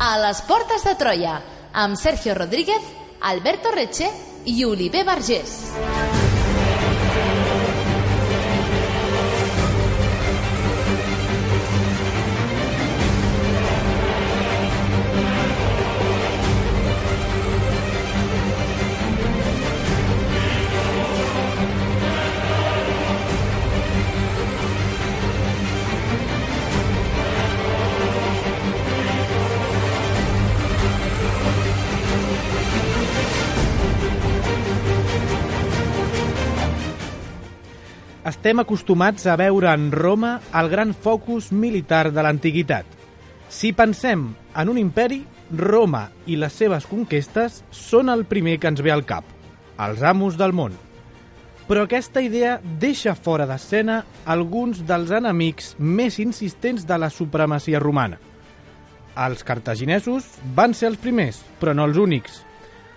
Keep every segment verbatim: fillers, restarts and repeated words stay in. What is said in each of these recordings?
A les portes de Troia, amb Sergio Rodríguez, Alberto Reche i Oliver Vergés. Estem acostumats a veure en Roma el gran focus militar de l'antiguitat. Si pensem en un imperi, Roma i les seves conquestes són el primer que ens ve al cap, els amos del món. Però aquesta idea deixa fora d'escena alguns dels enemics més insistents de la supremacia romana. Els cartaginesos van ser els primers, però no els únics.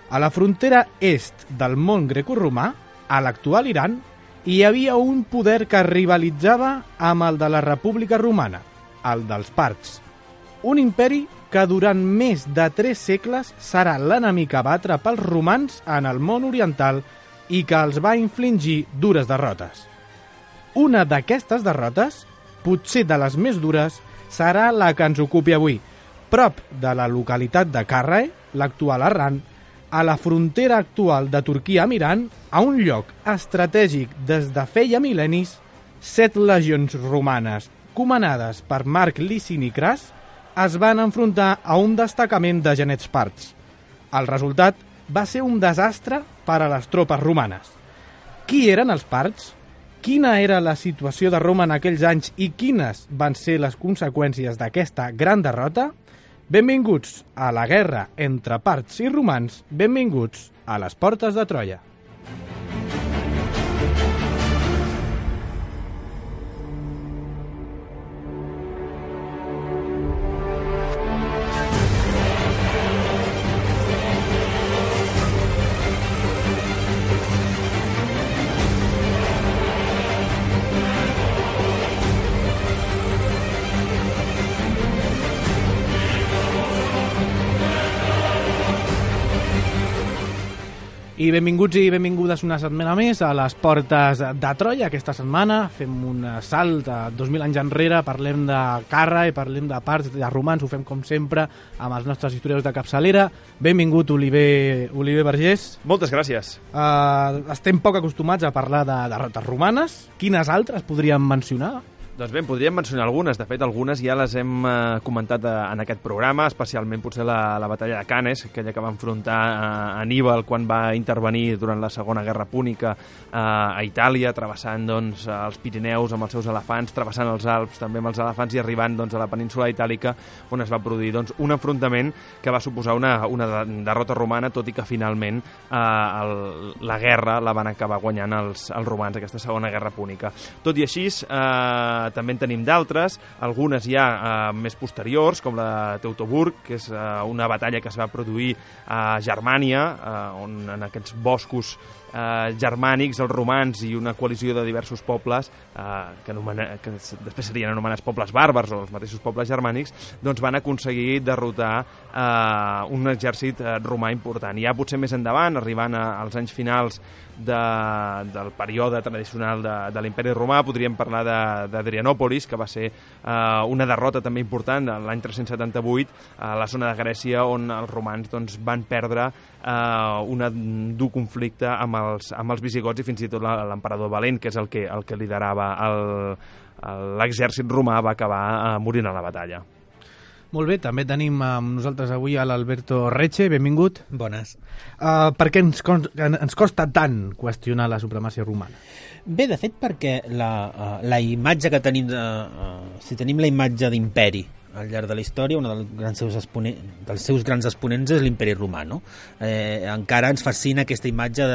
A la frontera est del món grecoromà, a l'actual Iran, hi havia un poder que rivalitzava amb el de la República Romana, el dels parts. Un imperi que durant més de tres segles serà l'enemic a batre pels romans en el món oriental i que els va infligir dures derrotes. Una d'aquestes derrotes, potser de les més dures, serà la que ens ocupi avui, prop de la localitat de Carrae, l'actual Harran, a la frontera actual de Turquia amb Iran, a un lloc estratègic des de feia mil·lennis, set legions romanes, comandades per Marc Licini Cras, es van enfrontar a un destacament de genets parts. El resultat va ser un desastre per a les tropes romanes. Qui eren els parts? Quina era la situació de Roma en aquells anys i quines van ser les conseqüències d'aquesta gran derrota? Benvinguts a la guerra entre parts i romans, benvinguts a les portes de Troia. I benvinguts i benvingudes una setmana més a les portes de Troia. Aquesta setmana fem un salt a dos mil anys enrere, parlem de Carrae, parlem de parts, de romans, ho fem com sempre amb els nostres historiadors de capçalera. Benvingut, Oliver, Oliver Vergés. Moltes gràcies. Uh, estem poc acostumats a parlar de derrotes romanes. Quines altres podríem mencionar? Doncs bé, en podríem mencionar algunes. De fet, algunes ja les hem eh, comentat eh, en aquest programa, especialment potser la, la batalla de Canes, aquella que va enfrontar eh, Aníbal quan va intervenir durant la Segona Guerra Púnica eh, a Itàlia, travessant doncs, els Pirineus amb els seus elefants, travessant els Alps també amb els elefants i arribant doncs, a la península itàlica, on es va produir doncs, un enfrontament que va suposar una, una derrota romana, tot i que finalment eh, el, la guerra la van acabar guanyant els, els romans, aquesta Segona Guerra Púnica. Tot i així, eh, també en tenim d'altres, algunes ja eh, més posteriors, com la de Teutoburg, que és eh, una batalla que es va produir a Germània, eh, on en aquests boscos eh, germànics, els romans i una coalició de diversos pobles, eh, que, anomena, que després serien anomenats pobles bàrbars o els mateixos pobles germànics, doncs van aconseguir derrotar eh, un exèrcit eh, romà important. Ja potser més endavant, arribant a, als anys finals de, del període tradicional de, de l'imperi romà, podríem parlar d'Adrianòpolis, que va ser eh, una derrota també important l'any tres-cents setanta-vuit a la zona de Grècia, on els romans doncs, van perdre eh, un dur conflicte amb els, amb els visigots i fins i tot l'emperador Valent, que és el que, el que liderava l'exèrcit romà, va acabar eh, morint a la batalla. Molt bé, també tenim amb nosaltres avui a l'Alberto Reche, benvingut. Bones. Uh, per què ens, ens costa tant qüestionar la supremacia romana? Bé, de fet, perquè la, uh, la imatge que tenim, de, uh, si tenim la imatge d'imperi al llarg de la història, un dels grans seus, exponent, dels seus grans exponents és l'imperi romà, no? Eh, encara ens fascina aquesta imatge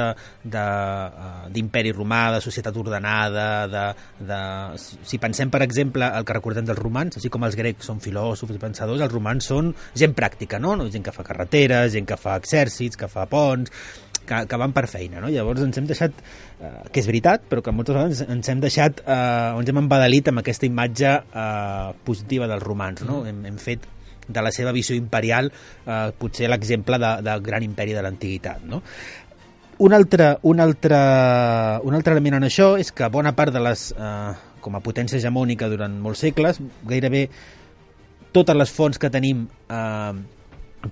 d'imperi romà, de societat ordenada, de, de... Si pensem, per exemple, el que recordem dels romans, així com els grecs són filòsofs i pensadors, els romans són gent pràctica, no? Gent que fa carreteres, gent que fa exèrcits, que fa ponts, que, que van per feina, no? Llavors ens hem deixat, eh, que és veritat, però que moltes vegades ens hem deixat, eh, ens hem embadalit amb aquesta imatge eh, positiva dels romans, no? Hem, hem fet de la seva visió imperial, eh, potser l'exemple de, del gran imperi de l'antiguitat, no? Un altre, un, altre, un altre element en això és que bona part de les, eh, com a potència hegemònica durant molts segles, gairebé totes les fonts que tenim eh,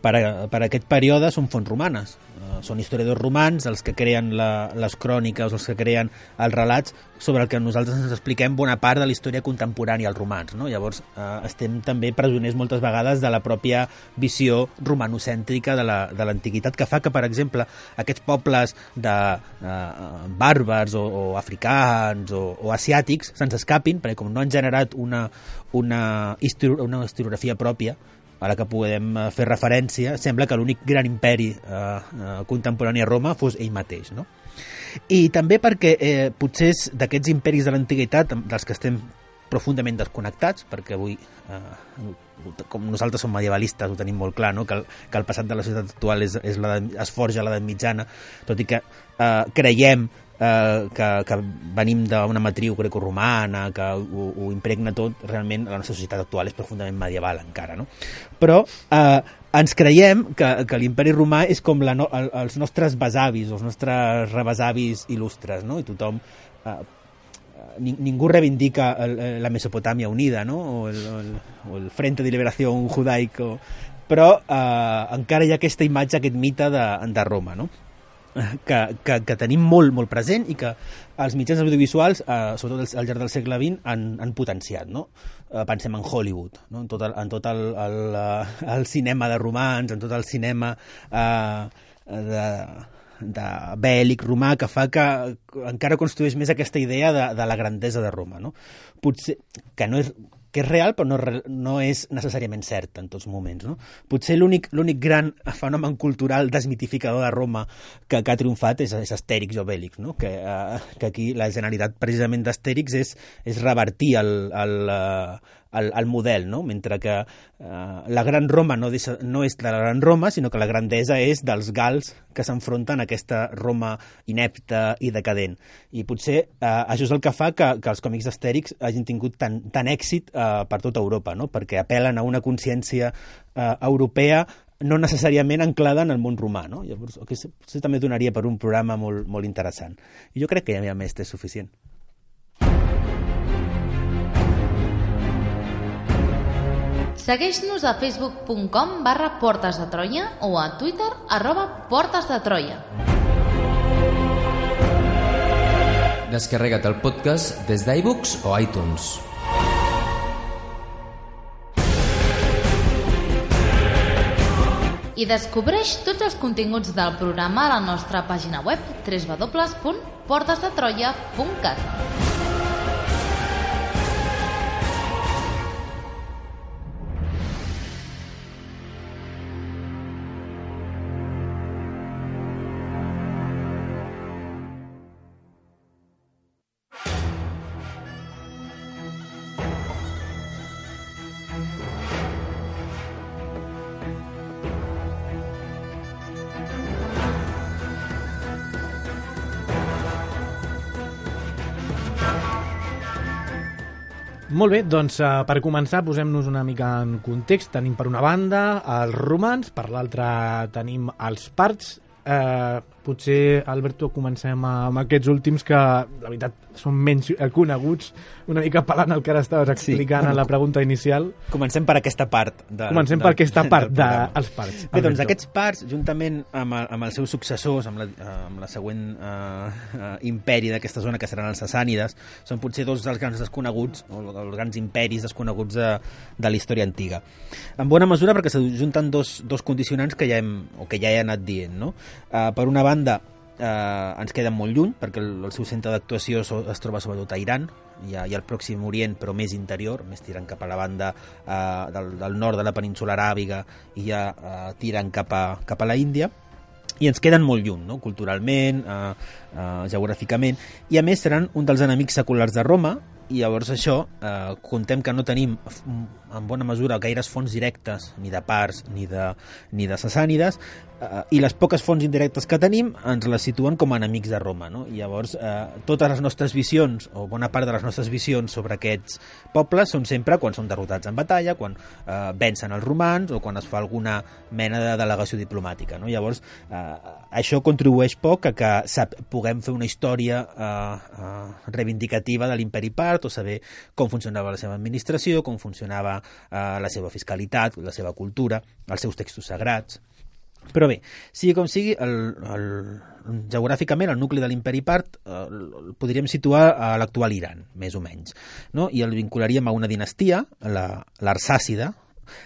per, a, per a aquest període són fonts romanes. Uh, són historiadors romans els que creen la, les cròniques, els que creen els relats sobre el que nosaltres ens expliquem bona part de la història contemporània als romans, no? Llavors uh, estem també presoners moltes vegades de la pròpia visió romanocèntrica de l'antiguitat, que fa que, per exemple, aquests pobles de uh, bàrbars o, o africans o, o asiàtics se'ns escapin, perquè com no han generat una, una, histori una historiografia pròpia a la que podem fer referència, sembla que l'únic gran imperi eh, eh, contemporani a Roma fos ell mateix, no? I també perquè eh, potser d'aquests imperis de l'antiguitat, dels que estem profundament desconnectats, perquè avui, eh, com nosaltres som medievalistes, ho tenim molt clar, no? que, el, que el passat de la societat actual és, és la de, es forja a l'edat mitjana, tot i que eh, creiem Eh, que, que venim d'una matriu grecoromana, que ho, ho impregna tot, realment la nostra societat actual és profundament medieval encara, no? Però eh, ens creiem que, que l'imperi romà és com la no, el, els nostres besavis, els nostres rebesavis il·lustres, no? I tothom... Eh, ni, ningú reivindica el, la Mesopotàmia unida, no? O el, el, o el Frente de Liberación Judaico, però eh, encara hi ha aquesta imatge, aquest mite de, de Roma, no? Que, que, que tenim molt, molt present i que els mitjans audiovisuals, eh, sobretot al llarg del segle vint, han, han potenciat, no? Eh, pensem en Hollywood, no? En tot el, en tot el, el, el cinema de romans, en tot el cinema eh, de, de bèl·lic romà, que fa que encara construeix més aquesta idea de, de la grandesa de Roma, no? Potser que no és que és real però no, no és necessàriament cert en tots moments, no? Potser l'únic l'únic gran fenomen cultural desmitificador de Roma que, que ha triomfat és, és Astèrix o Bèlix, no? Que, uh, que aquí la generalitat precisament d'Astèrix és, és revertir el, el, uh, el, el model, no? Mentre que uh, la gran Roma no, deixa, no és de la gran Roma, sinó que la grandesa és dels gals que s'enfronten a aquesta Roma inepta i decadent. I potser uh, això és el que fa que, que els còmics d'Astèrix hagin tingut tant, tant èxit uh, per tota Europa, no? Perquè apel·len a una consciència uh, europea no necessàriament anclada en el món romà, no? Llavors, això també donaria per un programa molt, molt interessant. I jo crec que ja més és suficient. Segueix-nos a facebook punt com barra Portes de Troia o a Twitter arroba Portes de Troia. Descarrega't el podcast des d'iBooks o iTunes. I descobreix tots els continguts del programa a la nostra pàgina web w w w punt portes de troia punt cat. Molt bé, doncs uh, per començar posem-nos una mica en context. Tenim per una banda els romans, per l'altra tenim els parts. Eh, potser, Alberto, comencem amb aquests últims que, la veritat, són menys coneguts, una mica pelant el que ara estaves explicant sí. en la pregunta inicial. Comencem per aquesta part. De, Comencem de, per aquesta part dels de, parts. Bé, doncs aquests parts, juntament amb, el, amb els seus successors, amb la, amb la següent uh, uh, imperi d'aquesta zona, que seran els sassànides, són potser dos dels grans desconeguts, o els grans imperis desconeguts de, de la història antiga. En bona mesura perquè s'ajunten dos, dos condicionants que ja hem, o que ja he anat dient, no? Uh, per una banda, eh, ens queden molt lluny, perquè el, el seu centre d'actuació so, es troba sobretot a Iran, i a, i al Pròxim Orient, però més interior, més tirant cap a la banda eh, del, del nord de la península aràbiga i ja eh, tirant cap a, cap a la Índia, i ens queden molt lluny, no? Culturalment, eh, eh, geogràficament, i a més seran un dels enemics seculars de Roma, i llavors això, eh, contem que no tenim en bona mesura gaires fonts directes, ni de parts ni de, ni de sassànides, Uh, I les poques fonts indirectes que tenim ens les situen com a enemics de Roma, no? I llavors, uh, totes les nostres visions, o bona part de les nostres visions sobre aquests pobles són sempre quan són derrotats en batalla, quan uh, vencen els romans o quan es fa alguna mena de delegació diplomàtica, no? Llavors, uh, això contribueix poc a que sap, puguem fer una història uh, uh, reivindicativa de l'imperi part o saber com funcionava la seva administració, com funcionava uh, la seva fiscalitat, la seva cultura, els seus textos sagrats. Però bé, sigui com sigui, el, el, geogràficament el nucli de l'imperi part eh, el podríem situar a l'actual Iran, més o menys, no? I el vincularíem a una dinastia, l'Arsàcida,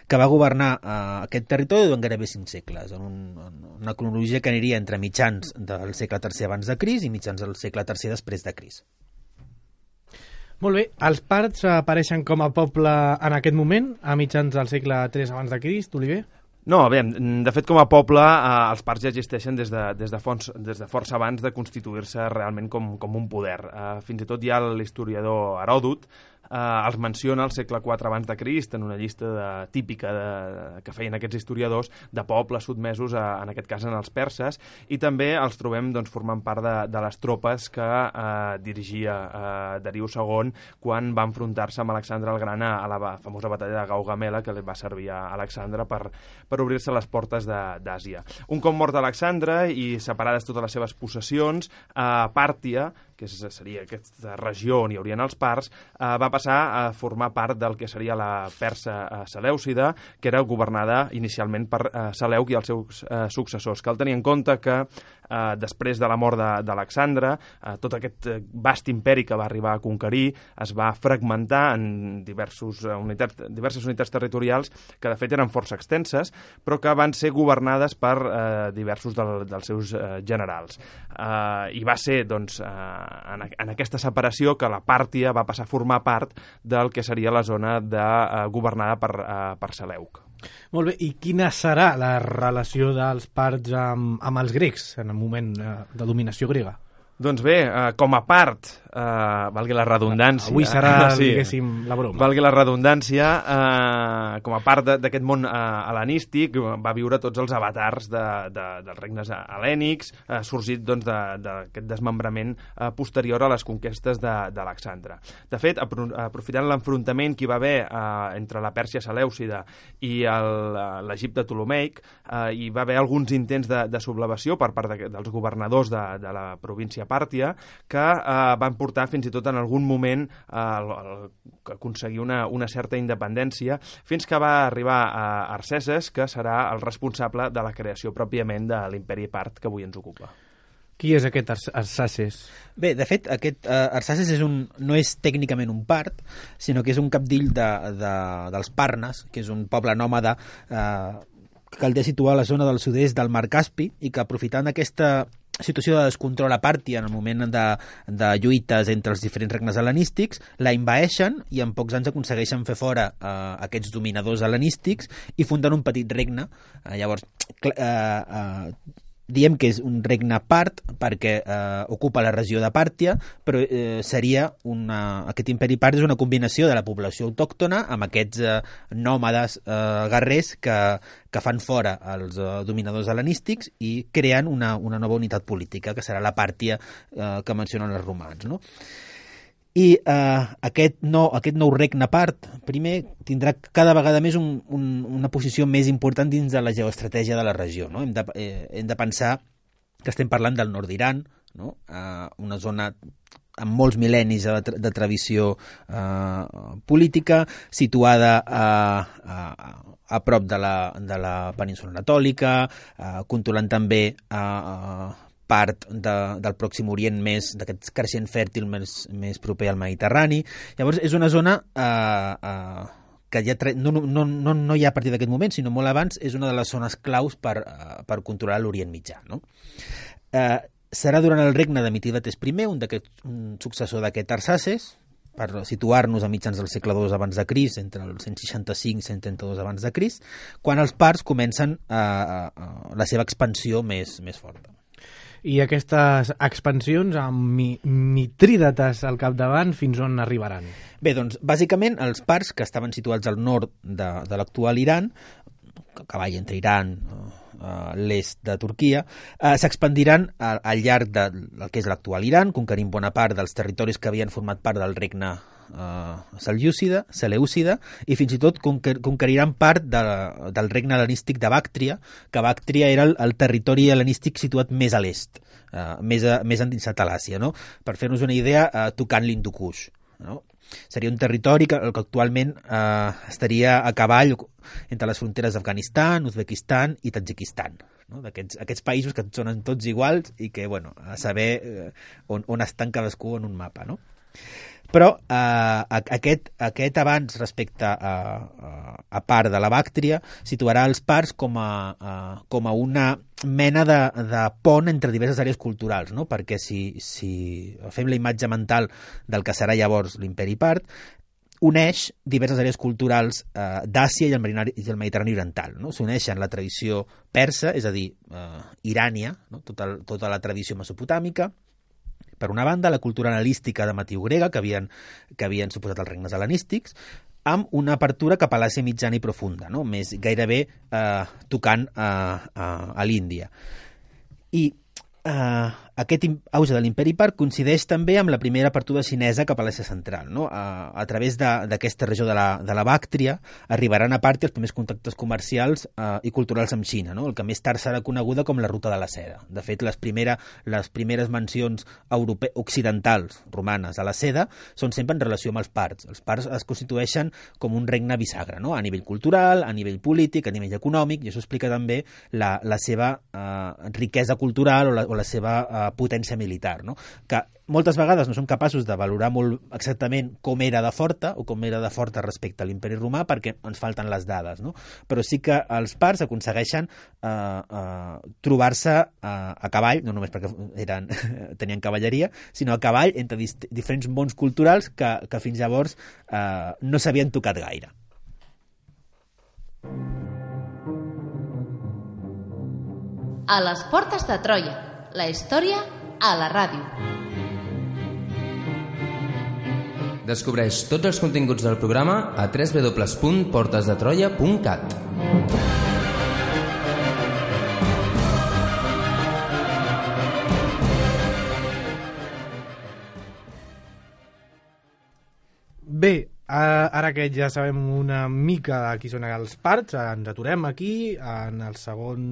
que va governar eh, aquest territori durant gairebé cinc segles, en, un, en una cronologia que aniria entre mitjans del segle tercer abans de Crist i mitjans del segle tercer després de Crist. Molt bé, els parts apareixen com a poble en aquest moment, a mitjans del segle tres abans de Crist, Oliver? No, bé, de fet, com a poble, eh, els parts ja existeixen des de, des de, fons, des de força abans de constituir-se realment com, com un poder. Eh, fins i tot hi ha l'historiador Heròdot, eh, els menciona al segle quatre abans de Crist en una llista de, típica de, que feien aquests historiadors de pobles sotmesos, a, en aquest cas en els perses, i també els trobem doncs, formant part de, de les tropes que eh, dirigia eh, Dariu segon quan va enfrontar-se amb Alexandre el Gran a, a la famosa batalla de Gaugamela, que li va servir a Alexandre per, per obrir-se les portes d'Àsia. Un cop mort Alexandre i separades totes les seves possessions, eh, Pàrtia, que seria aquesta regió on hi haurien els parts, eh, va passar a formar part del que seria la Persa eh, Selèucida, que era governada inicialment per eh, Seleuc i els seus eh, successors. Cal tenir en compte que eh, després de la mort d'Alexandre, eh, tot aquest vast imperi que va arribar a conquerir es va fragmentar en diversos, uh, unitats, diverses unitats territorials que de fet eren força extenses, però que van ser governades per eh, diversos del, dels seus eh, generals. Eh, I va ser, doncs, eh, en, en aquesta separació que la Pàrtia va passar a formar part del que seria la zona de, eh, governada per, eh, per Seleuc. Molt bé, i quina serà la relació dels parts amb, amb els grecs en el moment eh, de dominació grega? Doncs bé, eh, com a part, eh, valgui la redundància... Avui serà, sí, diguéssim, la broma. Valgui la redundància, eh, com a part d'aquest món eh, hel·lenístic, va viure tots els avatars de, de, dels regnes hel·lènics, eh, sorgit doncs, d'aquest de, desmembrament eh, posterior a les conquestes d'Alexandre. De, de fet, aprofitant l'enfrontament que hi va haver eh, entre la Pèrsia Selèucida i l'Egipte Ptolemaic, eh, hi va haver alguns intents de, de sublevació per part de, dels governadors de, de la província Pàrtia, que eh, van portar fins i tot en algun moment eh, a aconseguir una, una certa independència, fins que va arribar a Arsaces, que serà el responsable de la creació pròpiament de l'imperi part que avui ens ocupa. Qui és aquest Ars Arsaces? Bé, de fet, aquest uh, Arsaces és un, no és tècnicament un part, sinó que és un capdill de, de, dels Parnes, que és un poble nòmada eh, que caldria situar a la zona del sud-est del Mar Caspi, i que aprofitant aquesta situació de descontrol a Pàrtia en el moment de, de lluites entre els diferents regnes hel·lenístics, la invaeixen i en pocs anys aconsegueixen fer fora eh, aquests dominadors hel·lenístics i funden un petit regne. Eh, llavors, eh, eh, diem que és un regne part perquè eh, ocupa la regió de Pàrtia, però eh, seria una, aquest imperi part és una combinació de la població autòctona amb aquests eh, nòmades eh, guerrers que, que fan fora els eh, dominadors hel·lenístics i creen una, una nova unitat política, que serà la Pàrtia eh, que mencionen els romans, no? I eh, aquest, nou, aquest nou regne part, primer, tindrà cada vegada més un, un, una posició més important dins de la geoestratègia de la regió, no? Hem de, eh, hem de pensar que estem parlant del nord d'Iran, no? Eh, una zona amb molts mil·lennis de, tra de tradició eh, política, situada a, a, a prop de la, de la península anatòlica, eh, controlant també a, a part de, del Pròxim Orient més, d'aquest creixent fèrtil més, més proper al Mediterrani. Llavors, és una zona eh, eh, que ja no, no, no, no hi ha a partir d'aquest moment, sinó molt abans, és una de les zones claus per, eh, per controlar l'Orient Mitjà, no? Eh, serà durant el regne de Mitridates primer, un, un successor d'aquest Arsaces, per situar-nos a mitjans del segle dos abans de Crist, entre el cent seixanta-cinc i cent trenta-dos abans de Crist, quan els parts comencen eh, eh, la seva expansió més, més forta. I aquestes expansions amb mi Mitrídates al capdavant fins on arribaran? Bé, doncs, bàsicament, els parts que estaven situats al nord de, de l'actual Iran, a cavall entre Iran, uh, l'est de Turquia, uh, s'expandiran al, al llarg del que és l'actual Iran, conquerint bona part dels territoris que havien format part del regne uh, Selèucida, Selèucida, i fins i tot conquer, conqueriran part de, del regne hel·lenístic de Bàctria, que Bàctria era el, el territori hel·lenístic situat més a l'est, uh, més, a, més endinsat a l'Àsia, no? Per fer-nos una idea, uh, tocant l'Hindu Kush, no? Seria un territori que, que actualment eh, estaria a cavall entre les fronteres d'Afganistan, Uzbekistan i Tadjikistan, no? D'aquests aquests països que sonen tots iguals i que, bueno, a saber eh, on, on estan cadascú en un mapa, no? Però eh, aquest, aquest avanç respecte a, a, a part de la Bàctria situarà els parts com a, a, com a una mena de, de pont entre diverses àrees culturals, no? Perquè si, si fem la imatge mental del que serà llavors l'imperi part, uneix diverses àrees culturals eh, d'Àsia i, i el Mediterrani oriental, no? S'uneixen la tradició persa, és a dir, eh, irània, no? tota, tota la tradició mesopotàmica, per una banda, la cultura hel·lenística de matriu grega, que havien, que havien suposat els regnes hel·lenístics, amb una apertura cap a l'Àsia mitjana i profunda, no? Més gairebé eh, tocant a, a, a l'Índia. I eh, aquest auge de l'imperi part coincideix també amb la primera apertura xinesa cap a l'Àsia central, no? A, a través d'aquesta regió de la, de la Bàctria arribaran a part els primers contactes comercials eh, i culturals amb Xina, no? El que més tard serà coneguda com la ruta de la seda. De fet, les, primera, les primeres mencions europe... occidentals romanes a la seda són sempre en relació amb els parts. Els parts es constitueixen com un regne bisagra, no? A nivell cultural, a nivell polític, a nivell econòmic, i això explica també la, la seva eh, riquesa cultural o la, o la seva eh, potència militar, no? Que moltes vegades no som capaços de valorar molt exactament com era de forta o com era de forta respecte a l'imperi romà perquè ens falten les dades, no? Però sí que els parts aconsegueixen eh, eh, trobar-se eh, a cavall, no només perquè eren, tenien cavalleria, sinó a cavall entre diferents mons culturals que, que fins llavors eh, no s'havien tocat gaire. A les portes de Troia, la història a la ràdio. Descobreix tots els continguts del programa a w w w punt portes de troia punt cat. Bé, ara que ja sabem una mica de qui són els parts, ens aturem aquí en el segon...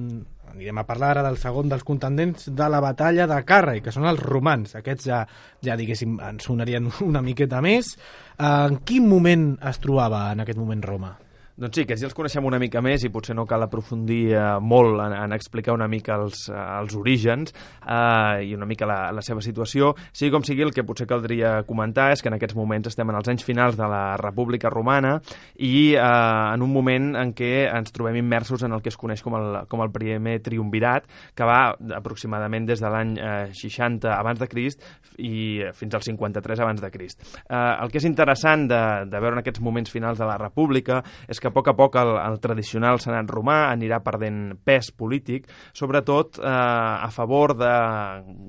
Anirem a parlar ara del segon dels contendents de la batalla de Carrai, que són els romans. Aquests ja, ja diguéssim, ens sonarien una miqueta més. En quin moment es trobava en aquest moment Roma? Doncs sí, aquests ja els coneixem una mica més i potser no cal aprofundir eh, molt en, en explicar una mica els, eh, els orígens eh, i una mica la, la seva situació. Sigui com sigui, el que potser caldria comentar és que en aquests moments estem en els anys finals de la República Romana i eh, en un moment en què ens trobem immersos en el que es coneix com el, com el primer triumvirat, que va aproximadament des de l'any eh, seixanta abans de Crist i fins al cinquanta-tres abans de Crist. Eh, el que és interessant de, de veure en aquests moments finals de la República és que a poc a poc el, el tradicional senat romà anirà perdent pes polític, sobretot eh, a favor de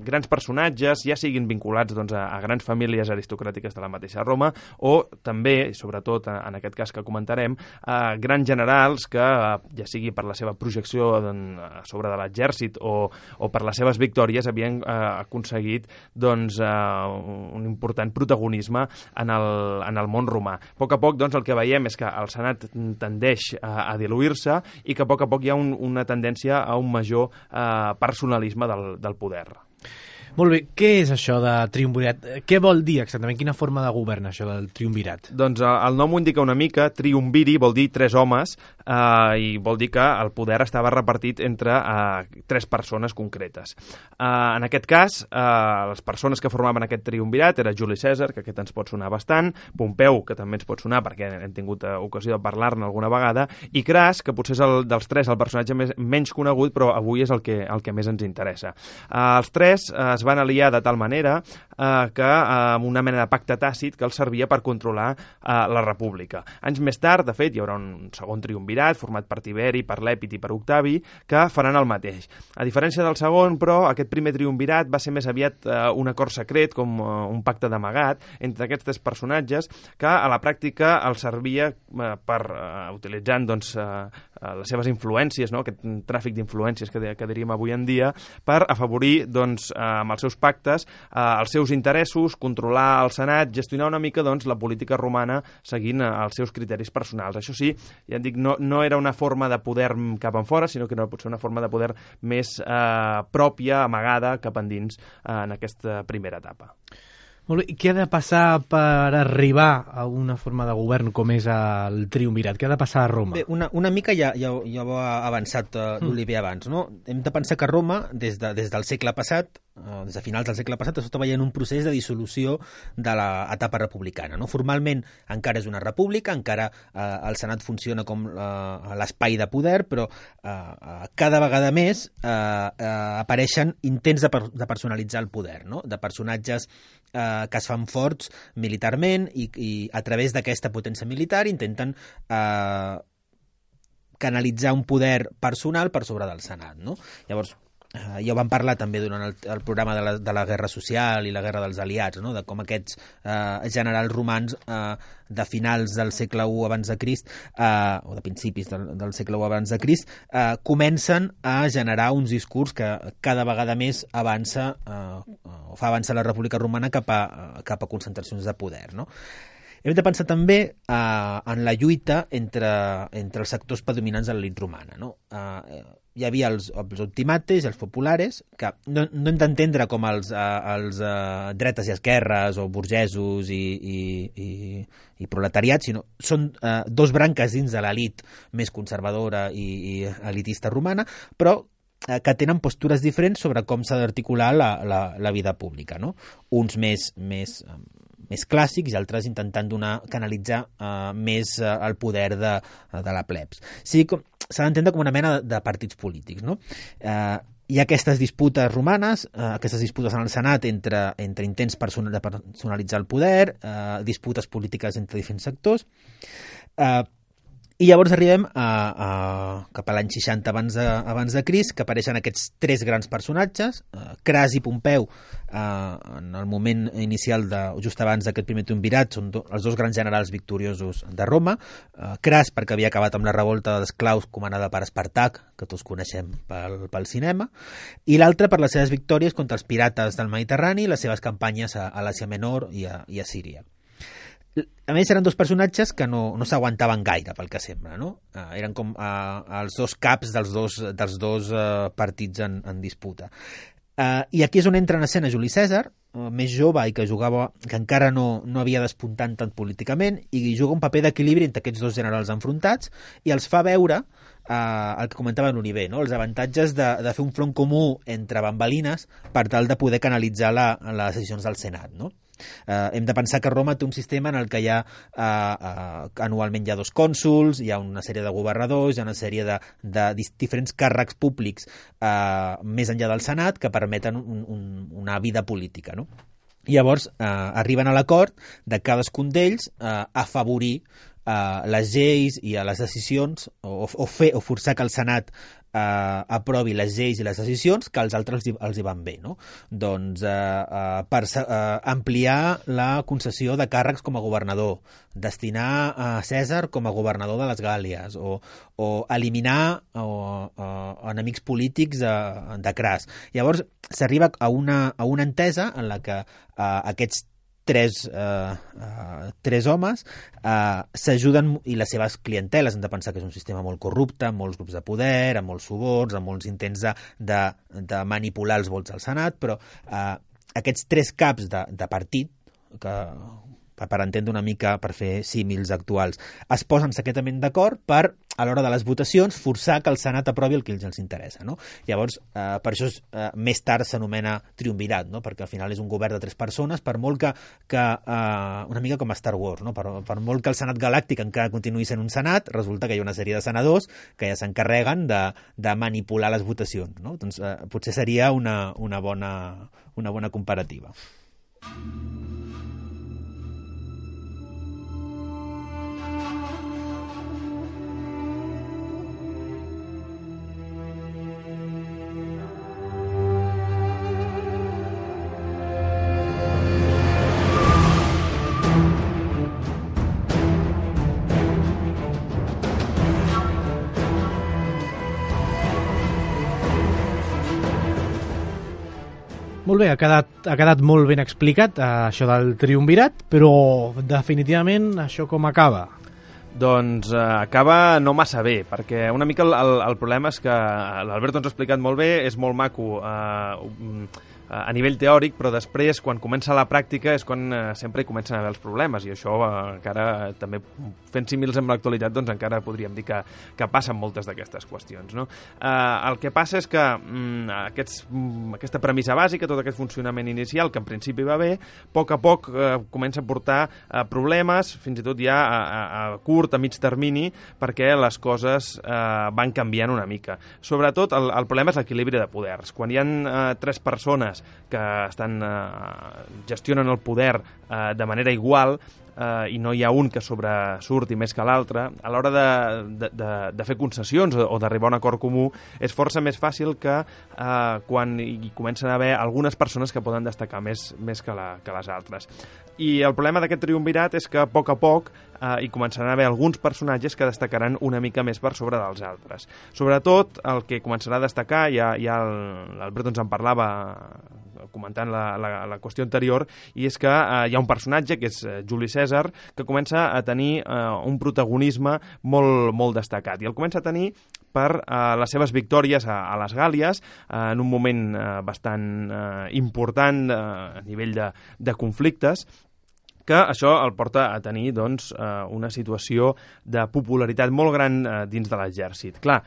grans personatges, ja siguin vinculats doncs, a, a grans famílies aristocràtiques de la mateixa Roma, o també, i sobretot en aquest cas que comentarem, a grans generals que, ja sigui per la seva projecció a sobre de l'exèrcit o, o per les seves victòries, havien eh, aconseguit doncs, eh, un important protagonisme en el, en el món romà. A poc a poc doncs, el que veiem és que el senat tendeix a, a diluir-se i que a poc a poc hi ha un, una tendència a un major eh, personalisme del, del poder. Molt bé, què és això de triumvirat? Què vol dir exactament? Quina forma de govern, això del triumvirat? Doncs el nom ho indica una mica. Triumviri vol dir tres homes eh, i vol dir que el poder estava repartit entre eh, tres persones concretes. Eh, en aquest cas, eh, les persones que formaven aquest triumvirat era Juli Cèsar, que aquest ens pot sonar bastant, Pompeu, que també ens pot sonar perquè hem tingut eh, ocasió de parlar-ne alguna vegada, i Cras, que potser és el, dels tres el personatge més, menys conegut, però avui és el que, el que més ens interessa. Eh, els tres eh, es van aliar de tal manera eh, que eh, amb una mena de pacte tàcit que els servia per controlar eh, la república. Anys més tard, de fet, hi haurà un segon triumvirat format per Tiberi, per Lèpid i per Octavi, que faran el mateix. A diferència del segon, però, aquest primer triumvirat va ser més aviat eh, un acord secret, com eh, un pacte d'amagat entre aquests tres personatges, que a la pràctica els servia eh, per, eh, utilitzant doncs, eh, les seves influències, no? Aquest tràfic d'influències que, que diríem avui en dia, per afavorir doncs, eh, amb els seus pactes eh, els seus interessos, controlar el Senat, gestionar una mica doncs, la política romana seguint eh, els seus criteris personals. Això sí, ja et dic, no, no era una forma de poder cap en fora, sinó que era potser una forma de poder més eh, pròpia, amagada, cap endins eh, en aquesta primera etapa. Molt bé. I què ha de passar per arribar a una forma de govern com és el triumvirat? Què ha de passar a Roma? Bé, una, una mica ja, ja, ja ho ha avançat uh, l'Oliver abans, no? Hem de pensar que Roma, des, de, des del segle passat, uh, des de finals del segle passat, està veient un procés de dissolució de l'etapa republicana, no? Formalment encara és una república, encara uh, el Senat funciona com uh, l'espai de poder, però uh, uh, cada vegada més uh, uh, apareixen intents de, per, de personalitzar el poder, no? De personatges eh, que es fan forts militarment i, i a través d'aquesta potència militar intenten eh, canalitzar un poder personal per sobre del Senat, no? Llavors, eh, ja ho vam parlar també durant el, el programa de la, de la Guerra Social i la Guerra dels Aliats, no? De com aquests eh, generals romans eh, de finals del segle u abans de Crist, eh, o de principis del, del segle u abans de Crist, eh, comencen a generar uns discurs que cada vegada més avança, eh, o fa avançar la República Romana cap a, cap a concentracions de poder, no? Hem de pensar també eh, en la lluita entre, entre els sectors predominants de l'elit romana, no? Eh, hi havia els, els optimates i els populares, que no, no hem d'entendre com els, eh, els eh, dretes i esquerres o burgesos i, i, i, i proletariats, sinó són eh, dos branques dins de l'elit més conservadora i, i elitista romana, però eh, que tenen postures diferents sobre com s'ha d'articular la, la, la vida pública, no? Uns més, més, més clàssics i altres intentant donar, canalitzar eh, més eh, el poder de, de la plebs. Sí, com s'ha d'entendre com una mena de partits polítics, no? Eh, hi ha aquestes disputes romanes, eh, aquestes disputes en el Senat entre, entre intents person de personalitzar el poder, eh, disputes polítiques entre diferents sectors, eh, i llavors arribem a, a, cap a l'any seixanta abans de, abans de Crist, que apareixen aquests tres grans personatges, eh, Cras i Pompeu, eh, en el moment inicial, de, just abans d'aquest primer triumvirat, són do, els dos grans generals victoriosos de Roma. eh, Cras perquè havia acabat amb la revolta d'esclaus comandada per Espartac, que tots coneixem pel, pel cinema, i l'altre per les seves victòries contra els pirates del Mediterrani i les seves campanyes a, a l'Àsia Menor i a, i a Síria. A més, eren dos personatges que no, no s'aguantaven gaire, pel que sembla, no? Uh, eren com uh, els dos caps dels dos, dels dos uh, partits en, en disputa. Uh, I aquí és on entra en escena Juli Cèsar, uh, més jove i que jugava, que encara no, no havia despuntat tant políticament, i juga un paper d'equilibri entre aquests dos generals enfrontats i els fa veure uh, el que comentava l'Oliver, no? Els avantatges de, de fer un front comú entre bambalines per tal de poder canalitzar la, les decisions del Senat, no? Uh, hem de pensar que Roma té un sistema en el que hi ha uh, uh, anualment hi ha dos cònsuls, hi ha una sèrie de governadors, hi ha una sèrie de, de diferents càrrecs públics uh, més enllà del Senat que permeten un, un, una vida política, no? I llavors uh, arriben a l'acord de cadascun d'ells uh, afavorir uh, les lleis i a les decisions o, o, fer, o forçar que el Senat Uh, aprovi les lleis i les decisions que als altres els, els hi van bé, no? Doncs uh, uh, per uh, ampliar la concessió de càrrecs com a governador, destinar a uh, Cèsar com a governador de les Gàl·lies o, o eliminar uh, uh, enemics polítics de, de Cras. Llavors s'arriba a una, a una entesa en la que uh, aquests tres, uh, uh, tres homes uh, s'ajuden, i les seves clienteles, hem de pensar que és un sistema molt corrupte, amb molts grups de poder, amb molts suborns, amb molts intents de, de, de manipular els vots al Senat, però uh, aquests tres caps de, de partit, que per entendre una mica, per fer símils actuals, es posen secretament d'acord per, a l'hora de les votacions, forçar que el Senat aprovi el que els interessa, no? Llavors, eh, per això eh, més tard s'anomena triumvirat, no? Perquè al final és un govern de tres persones, per molt que, que eh, una mica com a Star Wars, no? Per, per molt que el Senat Galàctic encara continuï sent un Senat, resulta que hi ha una sèrie de senadors que ja s'encarreguen de, de manipular les votacions, no? Doncs eh, potser seria una, una, bona, una bona comparativa. Molt bé, ha quedat, ha quedat molt ben explicat eh, això del triumvirat, però definitivament això com acaba? Doncs eh, acaba no massa bé, perquè una mica el, el, el problema és que l'Alberto ens ha explicat molt bé, és molt maco eh, a nivell teòric, però després, quan comença la pràctica, és quan eh, sempre hi comencen a haver els problemes, i això eh, encara, també fent símils amb l'actualitat, doncs encara podríem dir que, que passen moltes d'aquestes qüestions, no? Eh, el que passa és que mm, aquests, mm, aquesta premissa bàsica, tot aquest funcionament inicial, que en principi va bé, a poc a poc eh, comença a portar eh, problemes, fins i tot ja a, a, a curt, a mig termini, perquè les coses eh, van canviant una mica. Sobretot, el, el problema és l'equilibri de poders. Quan hi ha eh, tres persones que estan, eh, gestionen el poder eh, de manera igual eh, i no hi ha un que sobresurti més que l'altre, a l'hora de, de, de, de fer concessions o d'arribar a un acord comú és força més fàcil que eh, quan hi comencen a haver algunes persones que poden destacar més, més que, la, que les altres. I el problema d'aquest triumvirat és que a poc a poc eh, hi començaran a haver alguns personatges que destacaran una mica més per sobre dels altres. Sobretot, el que començarà a destacar, ja, ja l'Alberto ens en parlava comentant la, la, la qüestió anterior, i és que eh, hi ha un personatge, que és eh, Juli Cèsar, que comença a tenir eh, un protagonisme molt, molt destacat. I el comença a tenir per eh, les seves victòries a, a les Gàlies, eh, en un moment eh, bastant eh, important eh, a nivell de, de conflictes, que això el porta a tenir doncs, una situació de popularitat molt gran dins de l'exèrcit. Clar,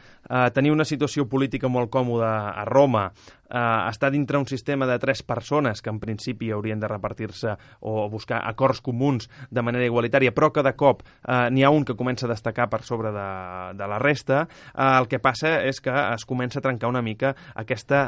tenir una situació política molt còmoda a Roma, estar dintre un sistema de tres persones que en principi haurien de repartir-se o buscar acords comuns de manera igualitària, però que de cop n'hi ha un que comença a destacar per sobre de, de la resta, el que passa és que es comença a trencar una mica aquesta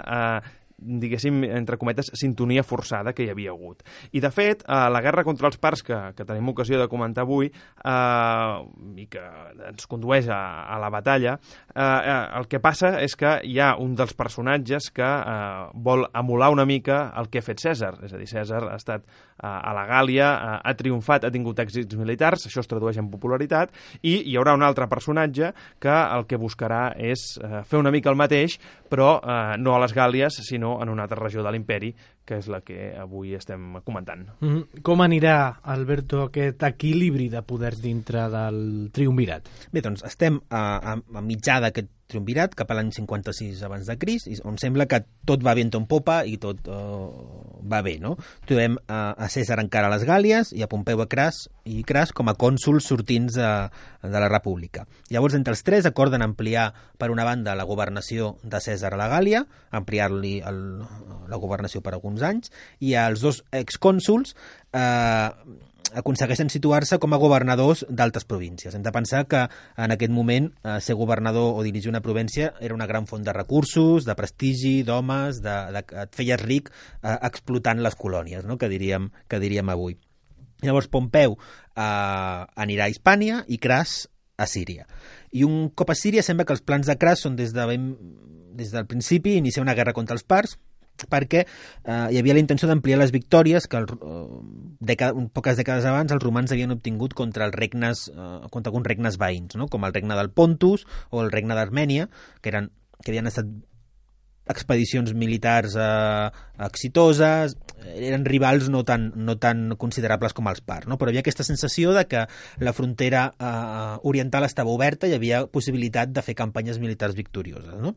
diguéssim, entre cometes, sintonia forçada que hi havia hagut. I, de fet, eh, la guerra contra els parts, que, que tenim ocasió de comentar avui, eh, i que ens condueix a, a la batalla, eh, eh, el que passa és que hi ha un dels personatges que eh, vol emular una mica el que ha fet Cèsar. És a dir, Cèsar ha estat eh, a la Gàlia, eh, ha triomfat, ha tingut èxits militars, això es tradueix en popularitat, i hi haurà un altre personatge que el que buscarà és eh, fer una mica el mateix, però eh, no a les Gàlies, sinó en una altra regió de l'imperi, que és la que avui estem comentant. Mm-hmm. Com anirà, Alberto, aquest equilibri de poders dintre del triumvirat? Bé, doncs estem a, a, a mitjà d'aquest triumvirat, cap a l'any cinquanta-sis abans de Crist, on sembla que tot va vent en popa i tot uh, va bé, no? Trobem uh, a Cèsar encara a les Gàlies i a Pompeu a Cras, i Cras com a cònsols sortints de, de la República. Llavors, entre els tres acorden ampliar, per una banda, la governació de Cèsar a la Gàlia, ampliar-li el, la governació per alguns anys, i els dos excònsols eh, aconsegueixen situar-se com a governadors d'altres províncies. Hem de pensar que en aquest moment eh, ser governador o dirigir una província era una gran font de recursos, de prestigi, d'homes, de, de, et feies ric eh, explotant les colònies, no? que, diríem, que diríem avui. Llavors Pompeu eh, anirà a Hispània i Cras a Síria. I un cop a Síria sembla que els plans de Cras són des, de ben, des del principi iniciar una guerra contra els parts, perquè eh, hi havia la intenció d'ampliar les victòries que el, eh, dècada, poques dècades abans els romans havien obtingut contra els regnes, eh, contra alguns regnes veïns, no? Com el regne del Pontus o el regne d'Armènia, que, eren, que havien estat expedicions militars eh, exitoses, eren rivals no tan, no tan considerables com els parts, no? Però hi havia aquesta sensació de que la frontera eh, oriental estava oberta i hi havia possibilitat de fer campanyes militars victorioses, no?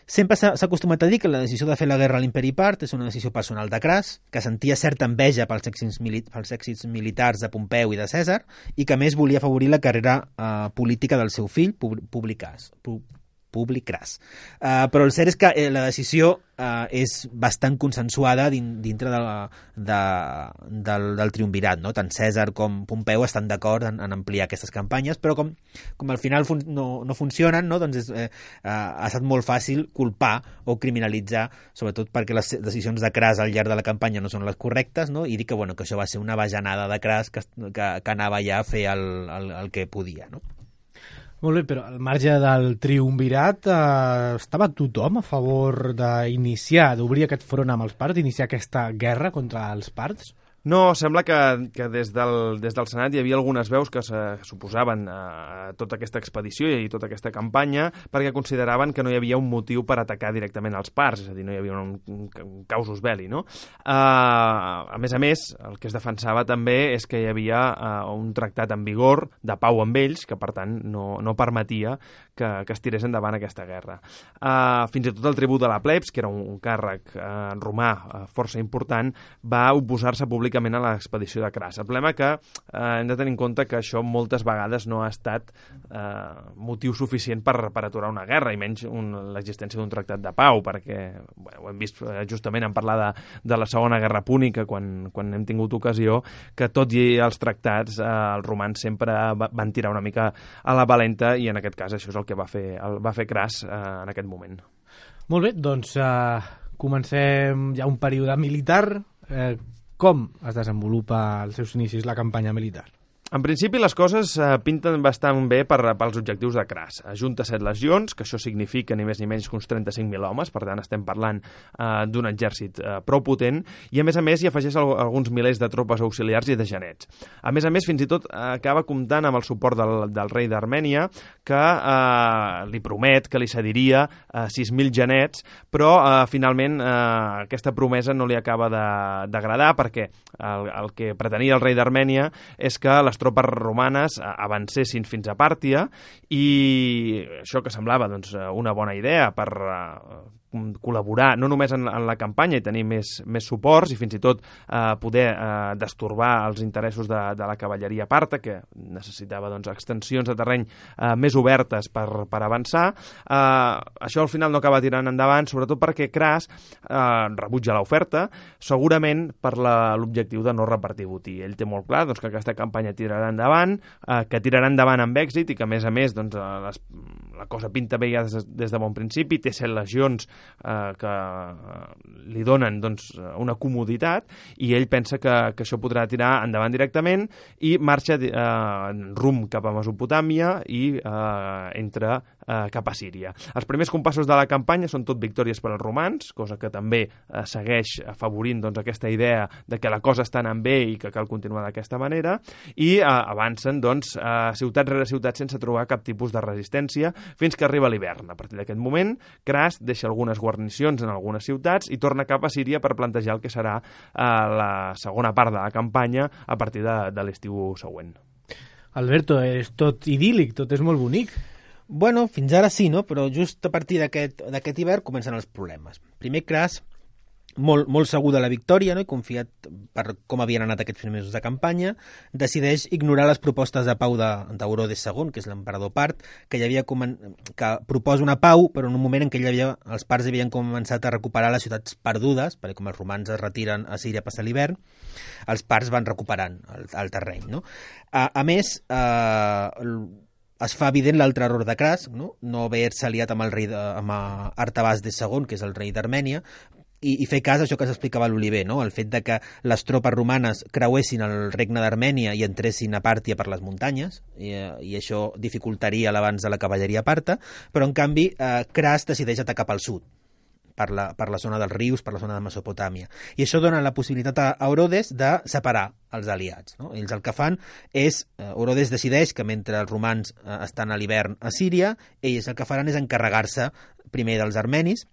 Sempre s'ha acostumat a dir que la decisió de fer la guerra a l'imperi part és una decisió personal de Cras, que sentia certa enveja pels èxits, mili pels èxits militars de Pompeu i de Cèsar, i que més volia afavorir la carrera eh, política del seu fill, Publicas. Publicras. Uh, però el cert és que eh, la decisió uh, és bastant consensuada din dintre de la, de, del, del triumvirat, no? Tant Cèsar com Pompeu estan d'acord en, en ampliar aquestes campanyes, però com, com al final fun no, no funcionen, no? Doncs és, eh, uh, ha estat molt fàcil culpar o criminalitzar, sobretot perquè les decisions de Cras al llarg de la campanya no són les correctes, no? I dir que, bueno, que això va ser una bajanada de Cras que, que, que anava ja a fer el, el, el que podia, no? Molt bé, però al marge del triumvirat eh, estava tothom a favor d'iniciar, d'obrir aquest front amb els parts, d'iniciar aquesta guerra contra els parts? No, sembla que, que des, del, des del Senat hi havia algunes veus que s'oposaven a tota aquesta expedició i tota aquesta campanya perquè consideraven que no hi havia un motiu per atacar directament els parts, és a dir, no hi havia un, un, un causus belli, no? Uh, a més a més, el que es defensava també és que hi havia uh, un tractat en vigor de pau amb ells, que per tant no, no permetia que, que es tirés endavant aquesta guerra. Uh, fins i tot el tribú de la plebs, que era un, un càrrec uh, romà uh, força important, va oposar-se públicament a l'expedició de Cras. El problema que eh, hem de tenir en compte que això moltes vegades no ha estat eh, motiu suficient per, per aturar una guerra, i menys un, l'existència d'un tractat de pau, perquè bueno, ho hem vist eh, justament en parlar de, de la Segona Guerra Púnica, quan, quan hem tingut ocasió, que tot i els tractats, eh, els romans sempre va, van tirar una mica a la valenta, i en aquest cas això és el que va fer, el, va fer Cras eh, en aquest moment. Molt bé, doncs eh, comencem ja un període militar. Eh, Com es desenvolupa als seus inicis la campanya militar? En principi, les coses eh, pinten bastant bé per, pels objectius de Cras. Ajunta set legions, que això significa ni més ni menys que uns trenta-cinc mil homes, per tant estem parlant eh, d'un exèrcit eh, prou potent, i a més a més hi afegeix al, alguns milers de tropes auxiliars i de genets. A més a més, fins i tot eh, acaba comptant amb el suport del, del rei d'Armènia, que eh, li promet que li cediria eh, sis mil genets, però eh, finalment eh, aquesta promesa no li acaba d'agradar, perquè el, el que pretenia el rei d'Armènia és que les tropes romanes avancessin fins a Pàrtia, i això que semblava doncs, una bona idea per uh, col·laborar no només en, en la campanya i tenir més, més suports i fins i tot eh, poder eh, destorbar els interessos de, de la cavalleria parta, que necessitava doncs, extensions de terreny eh, més obertes per, per avançar. Eh, això al final no acaba tirant endavant, sobretot perquè Cras eh, rebutja l'oferta, segurament per l'objectiu de no repartir botí. Ell té molt clar doncs, que aquesta campanya tirarà endavant, eh, que tirarà endavant amb èxit, i que a més a més doncs, les, la cosa pinta bé ja des, des de bon principi, té set legions Eh, que li donen doncs, una comoditat, i ell pensa que, que això podrà tirar endavant directament, i marxa eh, rumb cap a Mesopotàmia i eh, entra eh, cap a Síria. Els primers compassos de la campanya són tot victòries per als romans, cosa que també eh, segueix afavorint doncs, aquesta idea de que la cosa està anant bé i que cal continuar d'aquesta manera, i eh, avancen doncs, eh, ciutat rere ciutat sense trobar cap tipus de resistència fins que arriba l'hivern. A partir d'aquest moment, Cras deixa algunes guarnicions en algunes ciutats i torna cap a Síria per plantejar el que serà eh, la segona part de la campanya a partir de, de l'estiu següent. Alberto, és tot idíl·lic, tot és molt bonic. Bueno, fins ara sí, no? Però just a partir d'aquest d'aquest hivern comencen els problemes. Primer, Cras, molt, molt segur de la victòria, no? I confiat per com havien anat aquests primers mesos de campanya, decideix ignorar les propostes de pau d'Eurodes segon, que és l'emperador part, que, havia comen... que proposa una pau, però en un moment en què havia... els parts havien començat a recuperar les ciutats perdudes, perquè com els romans es retiren a Síria a passar l'hivern, els parts van recuperant el, el terreny. No? A, a més, eh, es fa evident l'altre error de Cras, no, no haver-se aliat amb el rei de, amb Artabasdes segon, que és el rei d'Armènia, i, i fer cas a això que s'explicava a l'Oliver, no? El fet de que les tropes romanes creuessin el regne d'Armènia i entressin a Pàrtia per les muntanyes, i, i això dificultaria l'avanç de la cavalleria parta, però en canvi eh, Cras decideix atacar pel sud, per la, per la zona dels rius, per la zona de Mesopotàmia. I això dona la possibilitat a Orodes de separar els aliats. No? Ells el que fan és, eh, Orodes decideix que mentre els romans eh, estan a l'hivern a Síria, ells el que faran és encarregar-se primer dels armenis,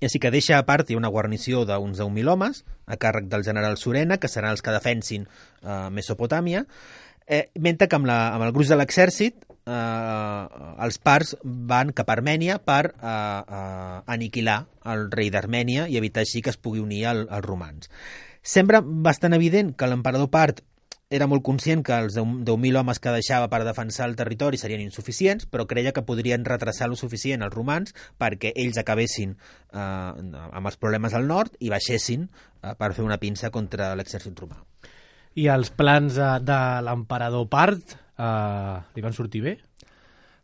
i així que deixa a part una guarnició d'uns deu mil homes, a càrrec del general Surena, que seran els que defensin eh, Mesopotàmia, eh, mentre que amb, la, amb el gruix de l'exèrcit eh, els parts van cap a Armènia per eh, eh, aniquilar el rei d'Armènia i evitar així que es pugui unir al, als romans. Sembla bastant evident que l'emperador part era molt conscient que els deu mil homes que deixava per defensar el territori serien insuficients, però creia que podrien retrasar lo suficient els romans perquè ells acabessin eh, amb els problemes al nord i baixessin eh, per fer una pinça contra l'exèrcit romà. I els plans de, de l'emperador part eh, li van sortir bé?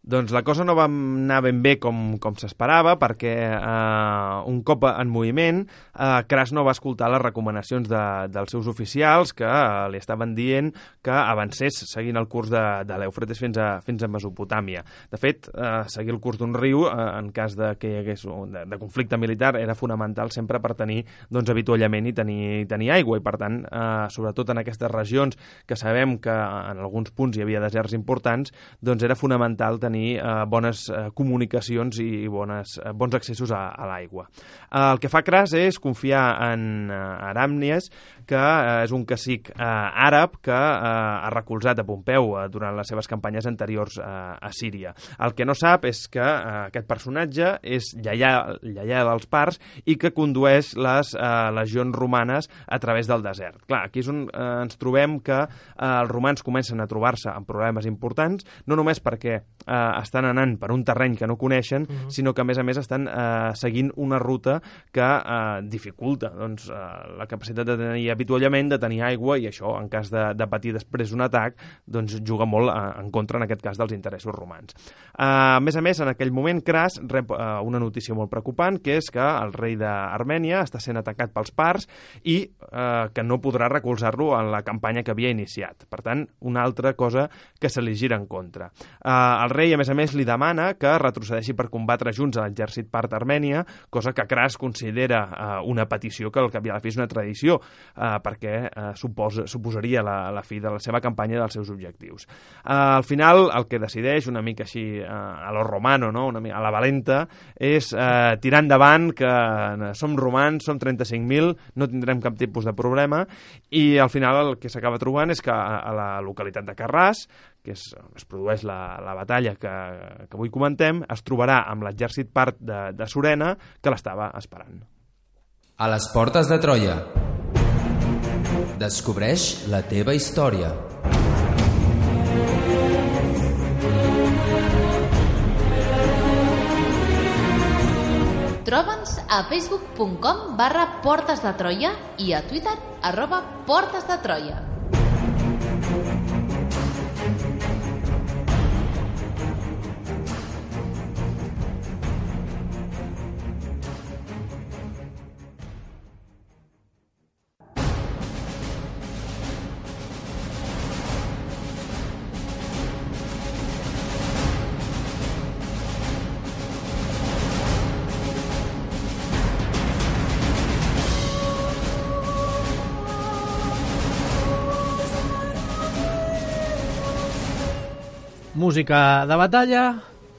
Doncs la cosa no va anar ben bé com, com s'esperava, perquè eh, un cop en moviment, eh, Cras no va escoltar les recomanacions de, dels seus oficials, que eh, li estaven dient que avancés seguint el curs de, de l'Eufrates fins a, fins a Mesopotàmia. De fet, eh, seguir el curs d'un riu, eh, en cas de que hi hagués un, de, de conflicte militar, era fonamental sempre per tenir doncs, avituallament i tenir, tenir aigua, i per tant, eh, sobretot en aquestes regions que sabem que en alguns punts hi havia deserts importants, doncs era fonamental tenir Eh, bones eh, comunicacions i bones, eh, bons accessos a, a l'aigua. Eh, el que fa Cras és confiar en eh, Aràmnies, que eh, és un cacic eh, àrab que eh, ha recolzat a Pompeu eh, durant les seves campanyes anteriors eh, a Síria. El que no sap és que eh, aquest personatge és lleià, lleià dels parts i que condueix les eh, legions romanes a través del desert. Clar, aquí és on eh, ens trobem que eh, els romans comencen a trobar-se amb problemes importants, no només perquè eh, estan anant per un terreny que no coneixen, uh-huh. sinó que a més a més estan eh, seguint una ruta que eh, dificulta doncs, eh, la capacitat de tenir avituallament, de tenir aigua, i això, en cas de, de patir després un atac, doncs juga molt eh, en contra, en aquest cas, dels interessos romans. Eh, a més a més, en aquell moment, Cras rep eh, una notícia molt preocupant, que és que el rei d'Armènia està sent atacat pels parts i eh, que no podrà recolzar-lo en la campanya que havia iniciat. Per tant, una altra cosa que se li gira en contra. Eh, el rei, a més a més, li demana que retrocedeixi per combatre junts a l'exèrcit part armènia, cosa que Cras considera eh, una petició que al cap i a la fi és una tradició, eh, perquè eh, suposa, suposaria la, la fi de la seva campanya i dels seus objectius. Eh, al final, el que decideix, una mica així eh, a lo romano, no? una mica a la valenta, és eh, tirar endavant, que eh, som romans, som trenta-cinc mil, no tindrem cap tipus de problema, i al final el que s'acaba trobant és que a, a la localitat de Carràs, que és, es produeix la, la batalla que, que avui comentem, es trobarà amb l'exèrcit part de, de Surena, que l'estava esperant. A les portes de Troia. Descobreix la teva història. Troba'ns a facebook punt com barra Portes de Troia i a Twitter arroba Portes de Troia. Música de batalla,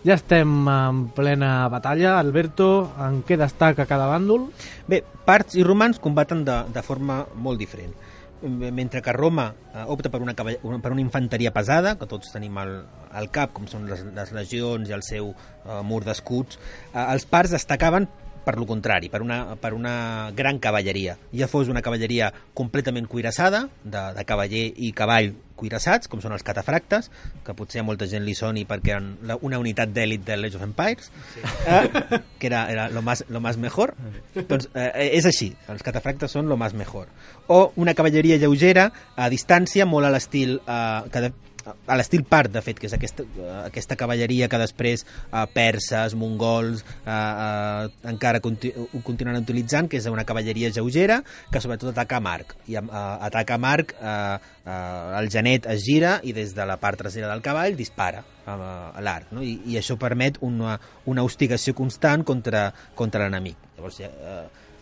ja estem en plena batalla. Alberto, en què destaca cada bàndol? Bé, parts i romans combaten de, de forma molt diferent. Mentre que Roma eh, opta per una, una, per una infanteria pesada, que tots tenim al, al cap, com són les, les legions i el seu eh, mur d'escuts, eh, els parts destacaven per lo contrari, per una, per una gran cavalleria. Ja fos una cavalleria completament cuirassada, de, de cavaller i cavall cuirassats, com són els catafractes, que potser a molta gent li soni perquè eren la, una unitat d'èlit de l'Age of Empires, sí. eh, que era, era lo, más, lo más mejor. Doncs eh, és així, els catafractes són lo más mejor. O una cavalleria lleugera, a distància, molt a l'estil eh, que de, a l'estil part, de fet, que és aquesta, aquesta cavalleria que després eh, perses, mongols eh, eh, encara conti ho continuaran utilitzant, que és una cavalleria lleugera que sobretot ataca a Marc i eh, ataca a Marc eh, eh, el genet es gira i des de la part trasera del cavall dispara eh, a l'arc, no? I, i això permet una, una hostigació constant contra, contra l'enemic. Llavors eh,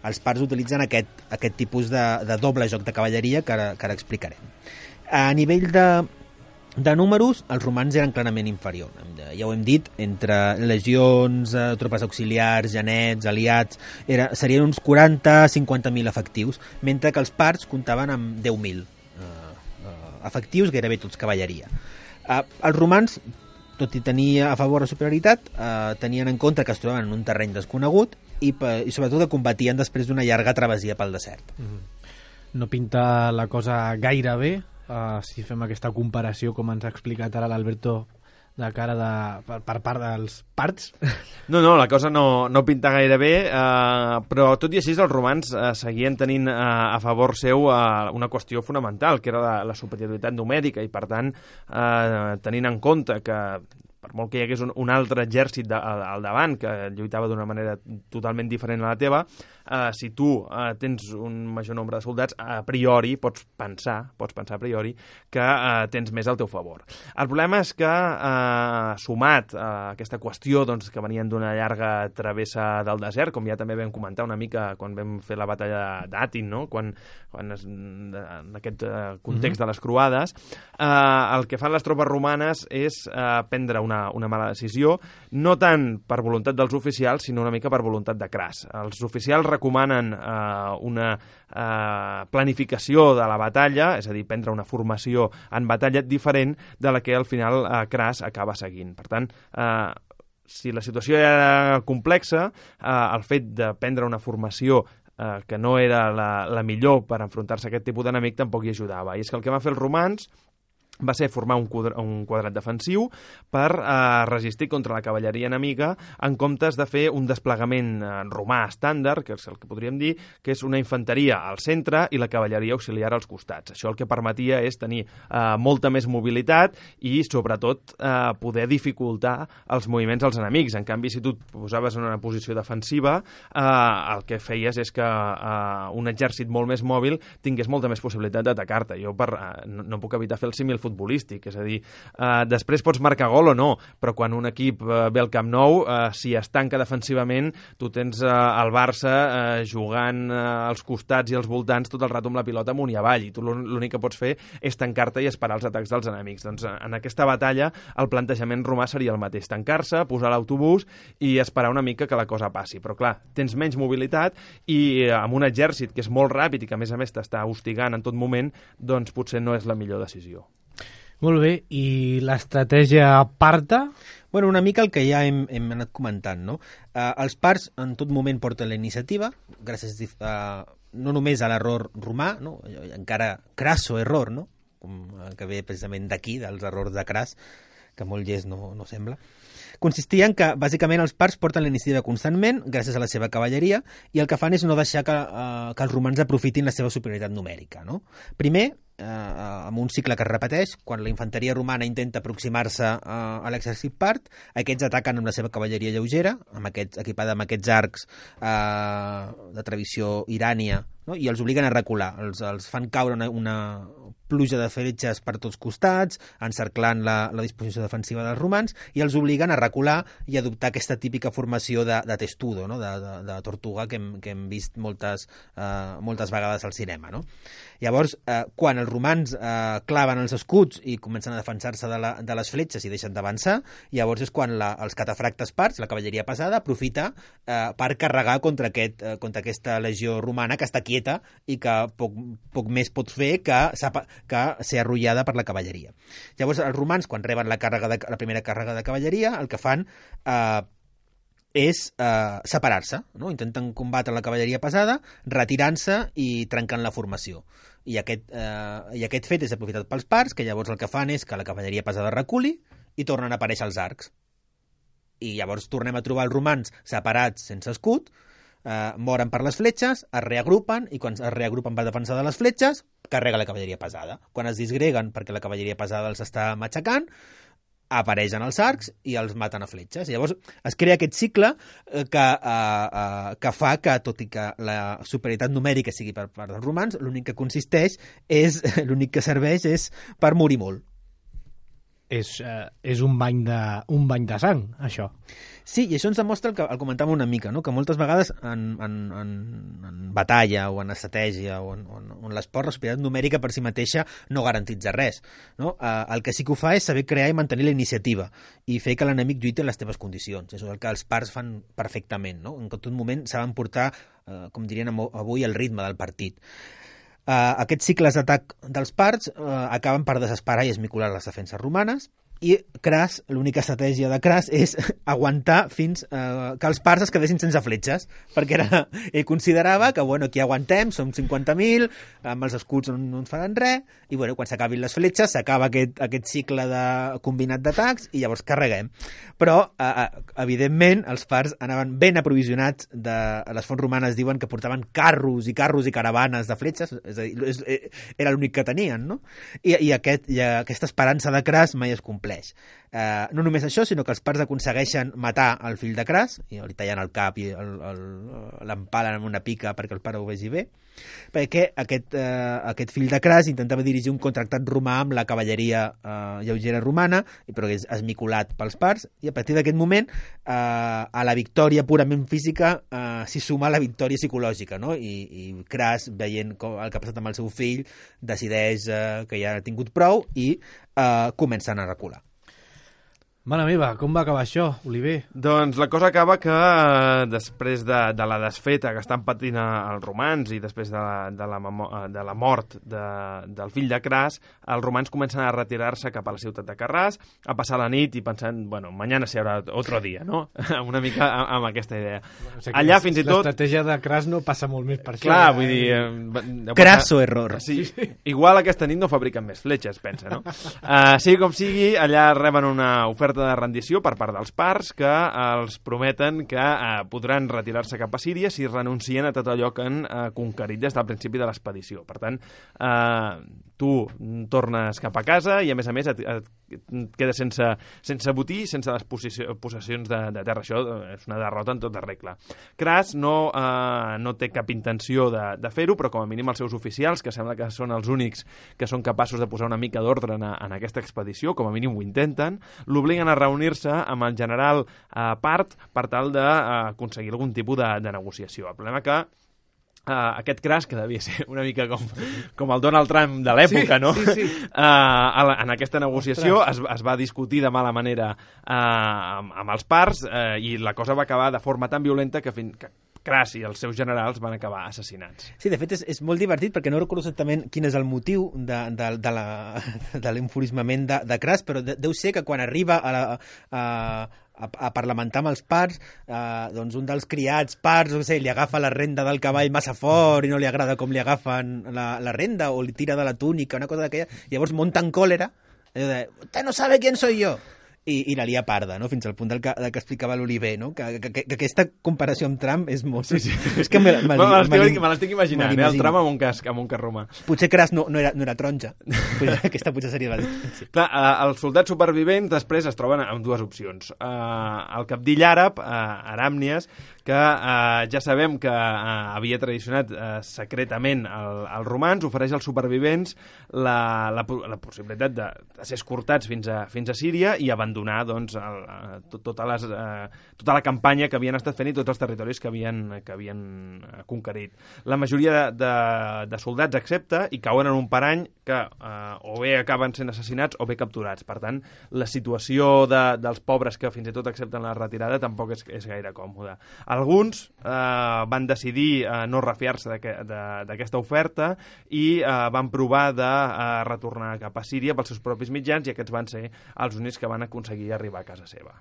els parts utilitzen aquest, aquest tipus de, de doble joc de cavalleria que ara, que ara explicarem. A nivell de De números, els romans eren clarament inferiors. Ja ho hem dit, entre legions, eh, tropes auxiliars, genets, aliats, era, serien uns quaranta a cinquanta mil efectius, mentre que els parts comptaven amb deu mil eh, eh, efectius, gairebé tots cavalleria. Eh, els romans, tot i tenir a favor la superioritat, eh, tenien en compte que es trobaven en un terreny desconegut i, i sobretot que combatien després d'una llarga travessia pel desert. Mm-hmm. No pinta la cosa gaire bé, Uh, si fem aquesta comparació com ens ha explicat ara l'Alberto de cara de, per, per part dels parts. No, no, la cosa no, no pinta gaire bé, eh, però tot i així els romans eh, seguien tenint eh, a favor seu eh, una qüestió fonamental, que era la, la superioritat numèrica, i per tant, eh, tenint en compte que per molt que hi hagués un, un altre exèrcit de, al, al davant que lluitava d'una manera totalment diferent a la teva, eh, si tu eh, tens un major nombre de soldats, a priori pots pensar, pots pensar a priori que eh, tens més al teu favor. El problema és que, eh, sumat a aquesta qüestió doncs, que venien d'una llarga travessa del desert, com ja també vam comentar una mica quan vam fer la batalla d'Atin, no? quan, quan es, en aquest eh, context mm-hmm. de les croades, eh, el que fan les tropes romanes és eh, prendre una, una mala decisió, no tant per voluntat dels oficials, sinó una mica per voluntat de Cras. Els oficials recomanen eh, una eh, planificació de la batalla, és a dir, prendre una formació en batalla diferent de la que al final eh, Cras acaba seguint. Per tant, eh, si la situació era complexa, eh, el fet de prendre una formació eh, que no era la, la millor per enfrontar-se a aquest tipus d'enemic tampoc hi ajudava. I és que el que van fer els romans va ser formar un, quadre, un quadrat defensiu per eh, resistir contra la cavalleria enemiga en comptes de fer un desplegament eh, romà estàndard, que és el que podríem dir, que és una infanteria al centre i la cavalleria auxiliar als costats. Això el que permetia és tenir eh, molta més mobilitat i, sobretot, eh, poder dificultar els moviments dels enemics. En canvi, si tu et posaves en una posició defensiva, eh, el que feies és que eh, un exèrcit molt més mòbil tingués molta més possibilitat d'atacar-te. Jo per, eh, no, no puc evitar fer el símil futbolístic, és a dir, eh, després pots marcar gol o no, però quan un equip eh, ve al Camp Nou, eh, si es tanca defensivament, tu tens eh, el Barça eh, jugant eh, als costats i als voltants tot el rato amb la pilota amunt i avall, i tu l'únic que pots fer és tancar-te i esperar els atacs dels enemics. Doncs en aquesta batalla el plantejament romà seria el mateix, tancar-se, posar l'autobús i esperar una mica que la cosa passi, però clar, tens menys mobilitat i eh, amb un exèrcit que és molt ràpid i que a més a més t'està hostigant en tot moment, doncs potser no és la millor decisió. Molt bé, i l'estratègia parta? Bueno, una mica el que ja hem, hem anat comentant, no? Uh, els parts en tot moment porten la iniciativa, gràcies uh, no només a l'error romà, no? Encara crasso error, no? Com, uh, que ve precisament d'aquí, dels errors de Cras, que molt llest no, no sembla. Consistia en que, bàsicament, els parts porten la iniciativa constantment, gràcies a la seva cavalleria, i el que fan és no deixar que, uh, que els romans aprofitin la seva superioritat numèrica, no? Primer, eh, amb un cicle que es repeteix, quan la infanteria romana intenta aproximar-se eh, a l'exèrcit part, aquests ataquen amb la seva cavalleria lleugera, amb aquests, equipada amb aquests arcs eh, de tradició irània, no? I els obliguen a recular, els, els fan caure una, una pluja de fletxes per tots costats, encerclant la, la disposició defensiva dels romans, i els obliguen a recular i adoptar aquesta típica formació de, de testudo, no? de, de, de tortuga que hem, que hem vist moltes, eh, moltes vegades al cinema, no? Llavors, eh, quan els romans eh, claven els escuts i comencen a defensar-se de, la, de les fletxes i deixen d'avançar, llavors és quan la, els catafractes parts, la cavalleria pesada, aprofita eh, per carregar contra, aquest, eh, contra aquesta legió romana que està quieta i que poc, poc més pot fer que, que ser arrollada per la cavalleria. Llavors, els romans, quan reben la, càrrega de, la primera càrrega de cavalleria, el que fan eh, és eh, separar-se, no? Intenten combatre la cavalleria pesada, retirant-se i trencant la formació. I aquest, eh, I aquest fet és aprofitat pels parts, que llavors el que fan és que la cavalleria pesada reculi i tornen a aparèixer els arcs. I llavors tornem a trobar els romans separats sense escut, eh, moren per les fletxes, es reagrupen, i quan es reagrupen per defensar de les fletxes, carrega la cavalleria pesada. Quan es disgreguen perquè la cavalleria pesada els està matxacant, apareixen els arcs i els maten a fletxes. Llavors es crea aquest cicle que, uh, uh, que fa que, tot i que la superioritat numèrica sigui per part dels romans, l'únic que consisteix és, l'únic que serveix és per morir molt. És, uh, és un bany de, un bany de sang, això. Sí, i això ens demostra el que el comentàvem una mica, no? Que moltes vegades en, en, en, en batalla o en estratègia o en, en, en l'esport, la superioritat numèrica per si mateixa no garantitza res, no? Eh, el que sí que ho fa és saber crear i mantenir la iniciativa i fer que l'enemic lluiti en les teves condicions. És el que els parts fan perfectament, no? En tot moment saben portar, eh, com dirien avui, el ritme del partit. Uh, aquests cicles d'atac dels parts uh, acaben per desesperar i esmicolar les defenses romanes, i Cras, l'única estratègia de Cras és aguantar fins eh, que els parts es quedessin sense fletxes, perquè era, ell considerava que, bueno, aquí aguantem, som cinquanta mil, amb els escuts no, no ens faran res, i bueno, quan s'acabin les fletxes s'acaba aquest, aquest cicle de combinat d'atacs i llavors carreguem. Però, eh, evidentment, els parts anaven ben aprovisionats, de, les fonts romanes diuen que portaven carros i carros i caravanes de fletxes, és a dir, és, era l'únic que tenien, no? I, i, aquest, i aquesta esperança de Cras mai es compleix. eh, no només això, sinó que els parts aconsegueixen matar el fill de Cras, i li tallen el cap i l'empalen amb una pica perquè el pare ho vegi bé, perquè aquest, eh, aquest fill de Cras intentava dirigir un contractat romà amb la cavalleria eh, lleugera romana, però és esmicolat pels parts, i a partir d'aquest moment eh, a la victòria purament física eh, s'hi suma la victòria psicològica, no? I, i Cras, veient com, el que ha passat amb el seu fill, decideix eh, que ja ha tingut prou i eh, comencen a recular. Mare meva, com va acabar això, Oliver? Doncs la cosa acaba que eh, després de, de la desfeta que estan patint els romans i després de la, de la, de la mort de, del fill de Cras, els romans comencen a retirar-se cap a la ciutat de Carràs, a passar la nit i pensant, bueno, mañana se habrá otro día, no? Una mica amb, amb aquesta idea. O sigui, allà fins i tot... L'estratègia de Cras no passa molt més per això. Clar, ja, vull dir... Eh, Crasso error. Sí, igual aquesta nit no fabriquen més fletxes, pensa, no? Uh, sigui com sigui, allà reben una oferta de rendició per part dels parts que els prometen que eh, podran retirar-se cap a Síria si renuncien a tot allò que han eh, conquerit des del principi de l'expedició. Per tant, eh, tu tornes cap a casa i, a més a més, et, et, et quedes sense, sense botí, sense les possessions de, de terra. Això és una derrota en tota regla. Cras no, eh, no té cap intenció de, de fer-ho, però com a mínim els seus oficials, que sembla que són els únics que són capaços de posar una mica d'ordre en, en aquesta expedició, com a mínim ho intenten, l'obliguen a reunir-se amb el general eh, Part per tal d'aconseguir algun tipus de, de negociació. El problema que Uh, aquest Cras, que devia ser una mica com, com el Donald Trump de l'època, sí, no? Sí, sí. Uh, en aquesta negociació es, es va discutir de mala manera uh, amb, amb els parts uh, i la cosa va acabar de forma tan violenta que, fin, que Cras i els seus generals van acabar assassinats. Sí, de fet és, és molt divertit perquè no recordo exactament quin és el motiu de, de, de, la, de l'enfurismament de, de Cras, però de, deu ser que quan arriba a la... A, a, a parlamentar amb els parts, eh, doncs un dels criats parts, no sé, li agafa la renda del cavall massa fort i no li agrada com li agafen la, la renda, o li tira de la túnica, una cosa d'aquella, llavors munta en còlera, i de, usted no sabe quién soy yo, i, i la lia parda, no? Fins al punt del que, del que explicava l'Oliver, no? Que, que, que, que aquesta comparació amb Trump és molt... Sí, sí. És que me, me, me, me, me l'estic imaginant, eh? El Trump amb un casc, amb un cas romà. Potser Cras no, no, era, no era taronja. Aquesta potser seria la diferència. Clar, eh, els soldats supervivents després es troben amb dues opcions. Eh, el cabdill àrab, eh, Aràmnies, que eh, ja sabem que eh, havia traicionat eh, secretament el, els romans, ofereix als supervivents la, la, la possibilitat de, de ser escortats fins a, fins a Síria i abandonar doncs, el, tot, totes les, eh, tota la campanya que havien estat fent i tots els territoris que havien, que havien conquerit. La majoria de, de, de soldats accepta i cauen en un parany que eh, o bé acaben sent assassinats o bé capturats. Per tant, la situació de, dels pobres que fins i tot accepten la retirada tampoc és, és gaire còmoda. Alguns eh, van decidir eh, no refiar-se d'aquesta oferta i eh, van provar de eh, retornar cap a Síria pels seus propis mitjans i aquests van ser els únics que van aconseguir arribar a casa seva.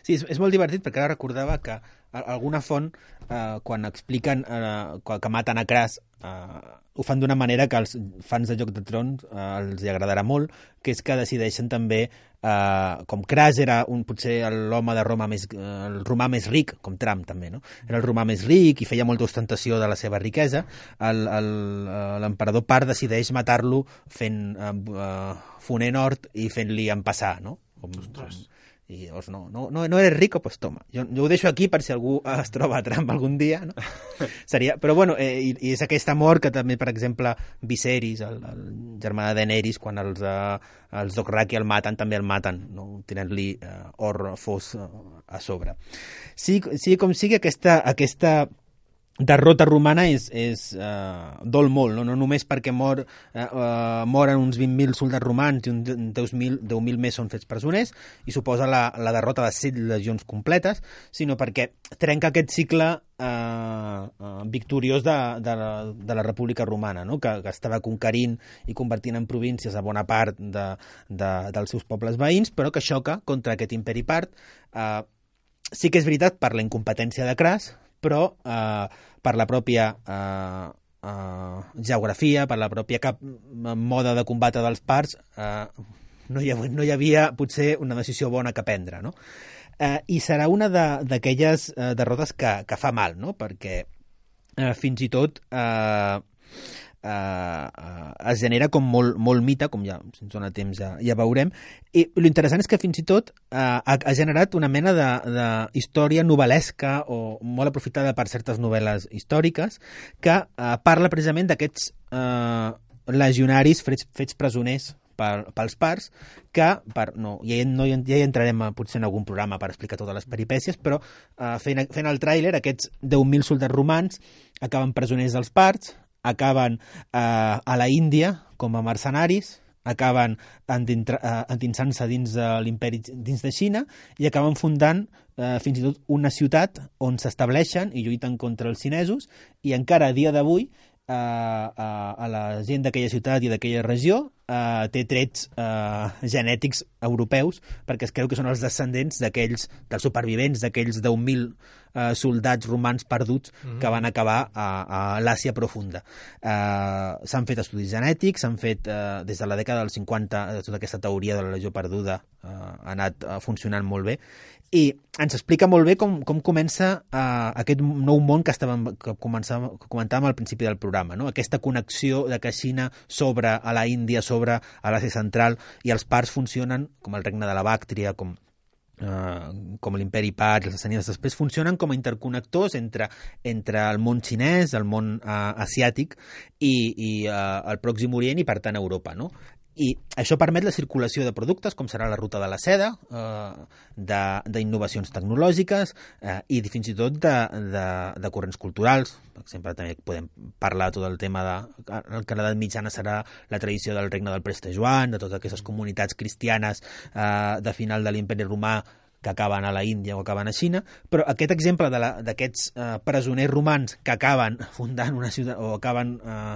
Sí, és, és molt divertit perquè ara recordava que alguna font, eh, quan expliquen eh, que maten a Cras, eh, ho fan d'una manera que als fans de Joc de Trons eh, els hi agradarà molt, que és que decideixen també, eh, com Cras era un, potser l'home de Roma més, eh, el romà més ric, com Trump també, no? Era el romà més ric i feia molta ostentació de la seva riquesa, l'emperador Part decideix matar-lo fent eh, eh, fonent hort i fent-li empassar, no? Com, com, i llavors no, no, no, no eres rico, pues toma. Jo, jo ho deixo aquí per si algú es troba a Trump algun dia, no? Seria, però bueno, eh, i, i és aquest amor que també, per exemple, Viserys, el, el germà de Daenerys, quan els, eh, els Dothraki el maten, també el maten, no? Tenint-li eh, or fos eh, a sobre. Sí, sí, com sigui, aquesta, aquesta derrota romana és, és uh, dol molt, no? No només perquè mor, uh, uh, moren uns vint mil soldats romans i uns deu mil més són fets presoners i suposa la, la derrota de set legions completes, sinó perquè trenca aquest cicle uh, uh, victoriós de, de, la, de la República Romana, no? que, que estava conquerint i convertint en províncies a bona part de, de, dels seus pobles veïns, però que xoca contra aquest imperi part. Uh, sí que és veritat per la incompetència de Cras, però eh, per la pròpia eh, eh, geografia, per la pròpia cap moda de combatre dels parts, eh, no, hi havia, no hi havia potser una decisió bona que prendre, no? Eh, I serà una d'aquelles de, eh, derrotes que, que fa mal, no? Perquè eh, fins i tot eh, eh, eh, es genera com molt, molt mite, com ja, si ens dona temps ja, ja veurem, i l'interessant és que fins i tot eh, ha, ha generat una mena de, de història novel·lesca o molt aprofitada per certes novel·les històriques que eh, parla precisament d'aquests eh, legionaris fets, fets presoners per, pels parts, que per, no, ja, no, ja hi entrarem a, potser en algun programa per explicar totes les peripècies, però eh, fent, fent el tràiler, aquests deu mil soldats romans acaben presoners dels parts, acaben eh, a la Índia com a mercenaris, acaben endinsant-se dins de l'imperi, dins de Xina, i acaben fundant eh, fins i tot una ciutat on s'estableixen i lluiten contra els xinesos, i encara a dia d'avui Uh, uh, a la gent d'aquella ciutat i d'aquella regió uh, té trets uh, genètics europeus, perquè es creu que són els descendents d'aquells, dels supervivents d'aquells deu mil uh, soldats romans perduts mm-hmm. que van acabar a, a l'Àsia profunda. Uh, s'han fet estudis genètics, s'han fet uh, des de la dècada dels cinquanta, tota aquesta teoria de la legió perduda uh, ha anat uh, funcionant molt bé, i ens explica molt bé com, com comença uh, aquest nou món que, estàvem, que, que comentàvem al principi del programa, no? Aquesta connexió de que Xina s'obre a la Índia, s'obre a l'Àsia Central, i els parts funcionen com el regne de la Bàctria, com, uh, com l'imperi part, i els sassànides després funcionen com a interconnectors entre, entre el món xinès, el món uh, asiàtic i, i uh, el Pròxim Orient i, per tant, Europa, no? I això permet la circulació de productes, com serà la ruta de la seda, eh, d'innovacions tecnològiques eh, i fins i tot de, de, de corrents culturals. Per exemple, també podem parlar tot el tema de... El que a l'edat mitjana serà la tradició del regne del Preste Joan, de totes aquestes comunitats cristianes eh, de final de l'imperi romà que acaben a la Índia o acaben a Xina, però aquest exemple d'aquests eh, presoners romans que acaben fundant una ciutat o acaben eh,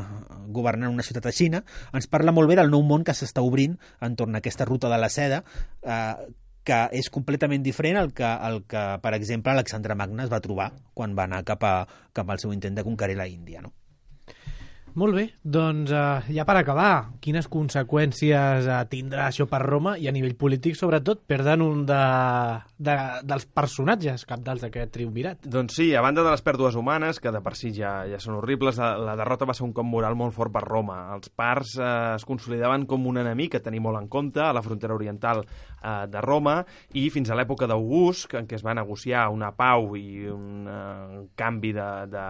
governant una ciutat a Xina, ens parla molt bé del nou món que s'està obrint entorn a aquesta ruta de la seda, eh, que és completament diferent al que, al que, per exemple, Alexandre Magne es va trobar quan va anar cap, a, cap al seu intent de conquerir la Índia, no? Molt bé, doncs uh, ja per acabar, quines conseqüències uh, tindrà això per Roma i a nivell polític, sobretot, perden un de, de, dels personatges cabdals d'aquest triumvirat? Doncs sí, a banda de les pèrdues humanes, que de per si ja, ja són horribles, la, la derrota va ser un cop moral molt fort per Roma. Els parts eh, es consolidaven com un enemic a tenir molt en compte a la frontera oriental eh, de Roma, i fins a l'època d'August, en què es va negociar una pau i un eh, canvi de, de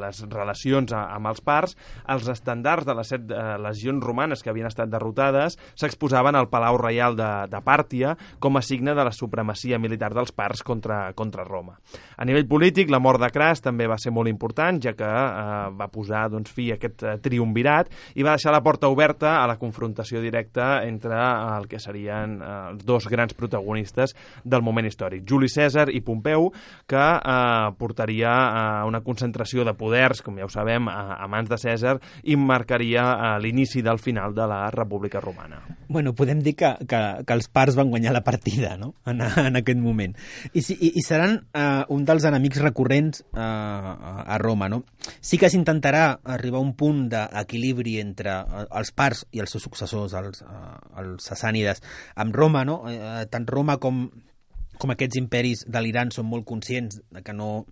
les relacions amb els parts, parts, els estandards de les set eh, legions romanes que havien estat derrotades s'exposaven al Palau Reial de, de Pàrtia com a signe de la supremacia militar dels parts contra, contra Roma. A nivell polític, la mort de Cras també va ser molt important, ja que eh, va posar doncs, fi a aquest eh, triumvirat i va deixar la porta oberta a la confrontació directa entre eh, el que serien eh, els dos grans protagonistes del moment històric, Juli Cèsar i Pompeu, que eh, portaria a eh, una concentració de poders, com ja ho sabem, a, a mans de Cèsar, i marcaria uh, l'inici del final de la República Romana. Bueno, podem dir que, que, que els parts van guanyar la partida, no?, en, en aquest moment. I, i, i seran uh, un dels enemics recurrents uh, a Roma, no? Sí que s'intentarà arribar a un punt d'equilibri entre uh, els parts i els seus successors, els, uh, els sassànides, amb Roma, no? Uh, tant Roma com, com aquests imperis de l'Iran són molt conscients de que no...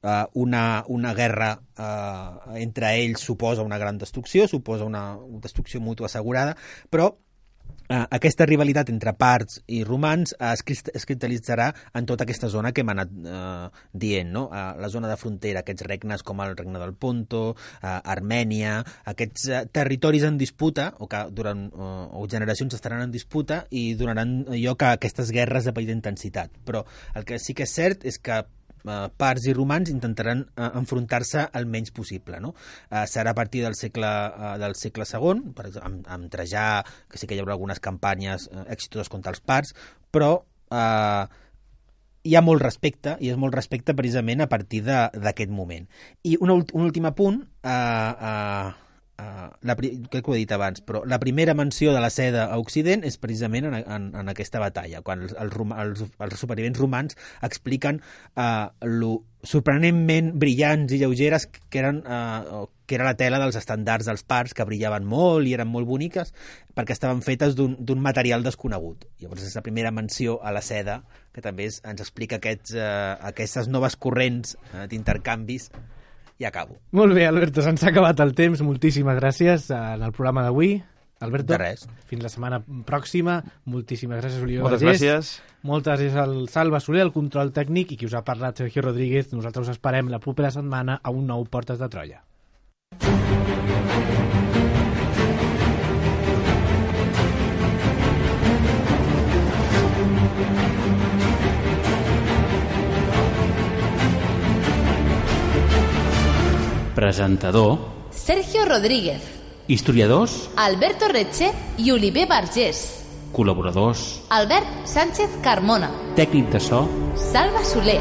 Uh, una, una guerra uh, entre ells suposa una gran destrucció, suposa una destrucció mútua assegurada, però uh, aquesta rivalitat entre parts i romans uh, es, es cristal·litzarà en tota aquesta zona que hem anat uh, dient, no? Uh, la zona de frontera, aquests regnes com el regne del Ponto, uh, Armènia, aquests uh, territoris en disputa, o que durant uh, o generacions estaran en disputa i donaran lloc a aquestes guerres de petita intensitat. Però el que sí que és cert és que Uh, parts i romans intentaran uh, enfrontar-se el menys possible, no? Uh, serà a partir del segle, uh, del segle segon, per exemple, amb, amb Trajà, que sí que hi haurà algunes campanyes uh, exitoses contra els parts, però uh, hi ha molt respecte, i és molt respecte precisament a partir d'aquest moment. I un, un últim apunt, uh, uh, Uh, la, crec que ho he dit abans, però la primera menció de la seda a Occident és precisament en, en, en aquesta batalla, quan els, els, els, els supervivents romans expliquen uh, lo sorprenentment brillants i lleugeres que eren uh, que era la tela dels estandards dels parts, que brillaven molt i eren molt boniques perquè estaven fetes d'un material desconegut. Llavors és la primera menció a la seda, que també és, ens explica aquests, uh, aquestes noves corrents uh, d'intercanvis i acabo. Molt bé, Alberto, se'ns ha acabat el temps. Moltíssimes gràcies en el programa d'avui. Alberto, De res. fins la setmana pròxima. Moltíssimes gràcies, Oliver Moltes Vergés. gràcies. Moltes gràcies al Salva Soler, el control tècnic, i qui us ha parlat, Sergio Rodríguez. Nosaltres us esperem la propera setmana a un nou Portes de Troia. Presentador, Sergio Rodríguez, historiadors, Alberto Retxe i Oliver Vergés. col·laboradors, Albert Sánchez Carmona, tècnic de so, Salva Soler.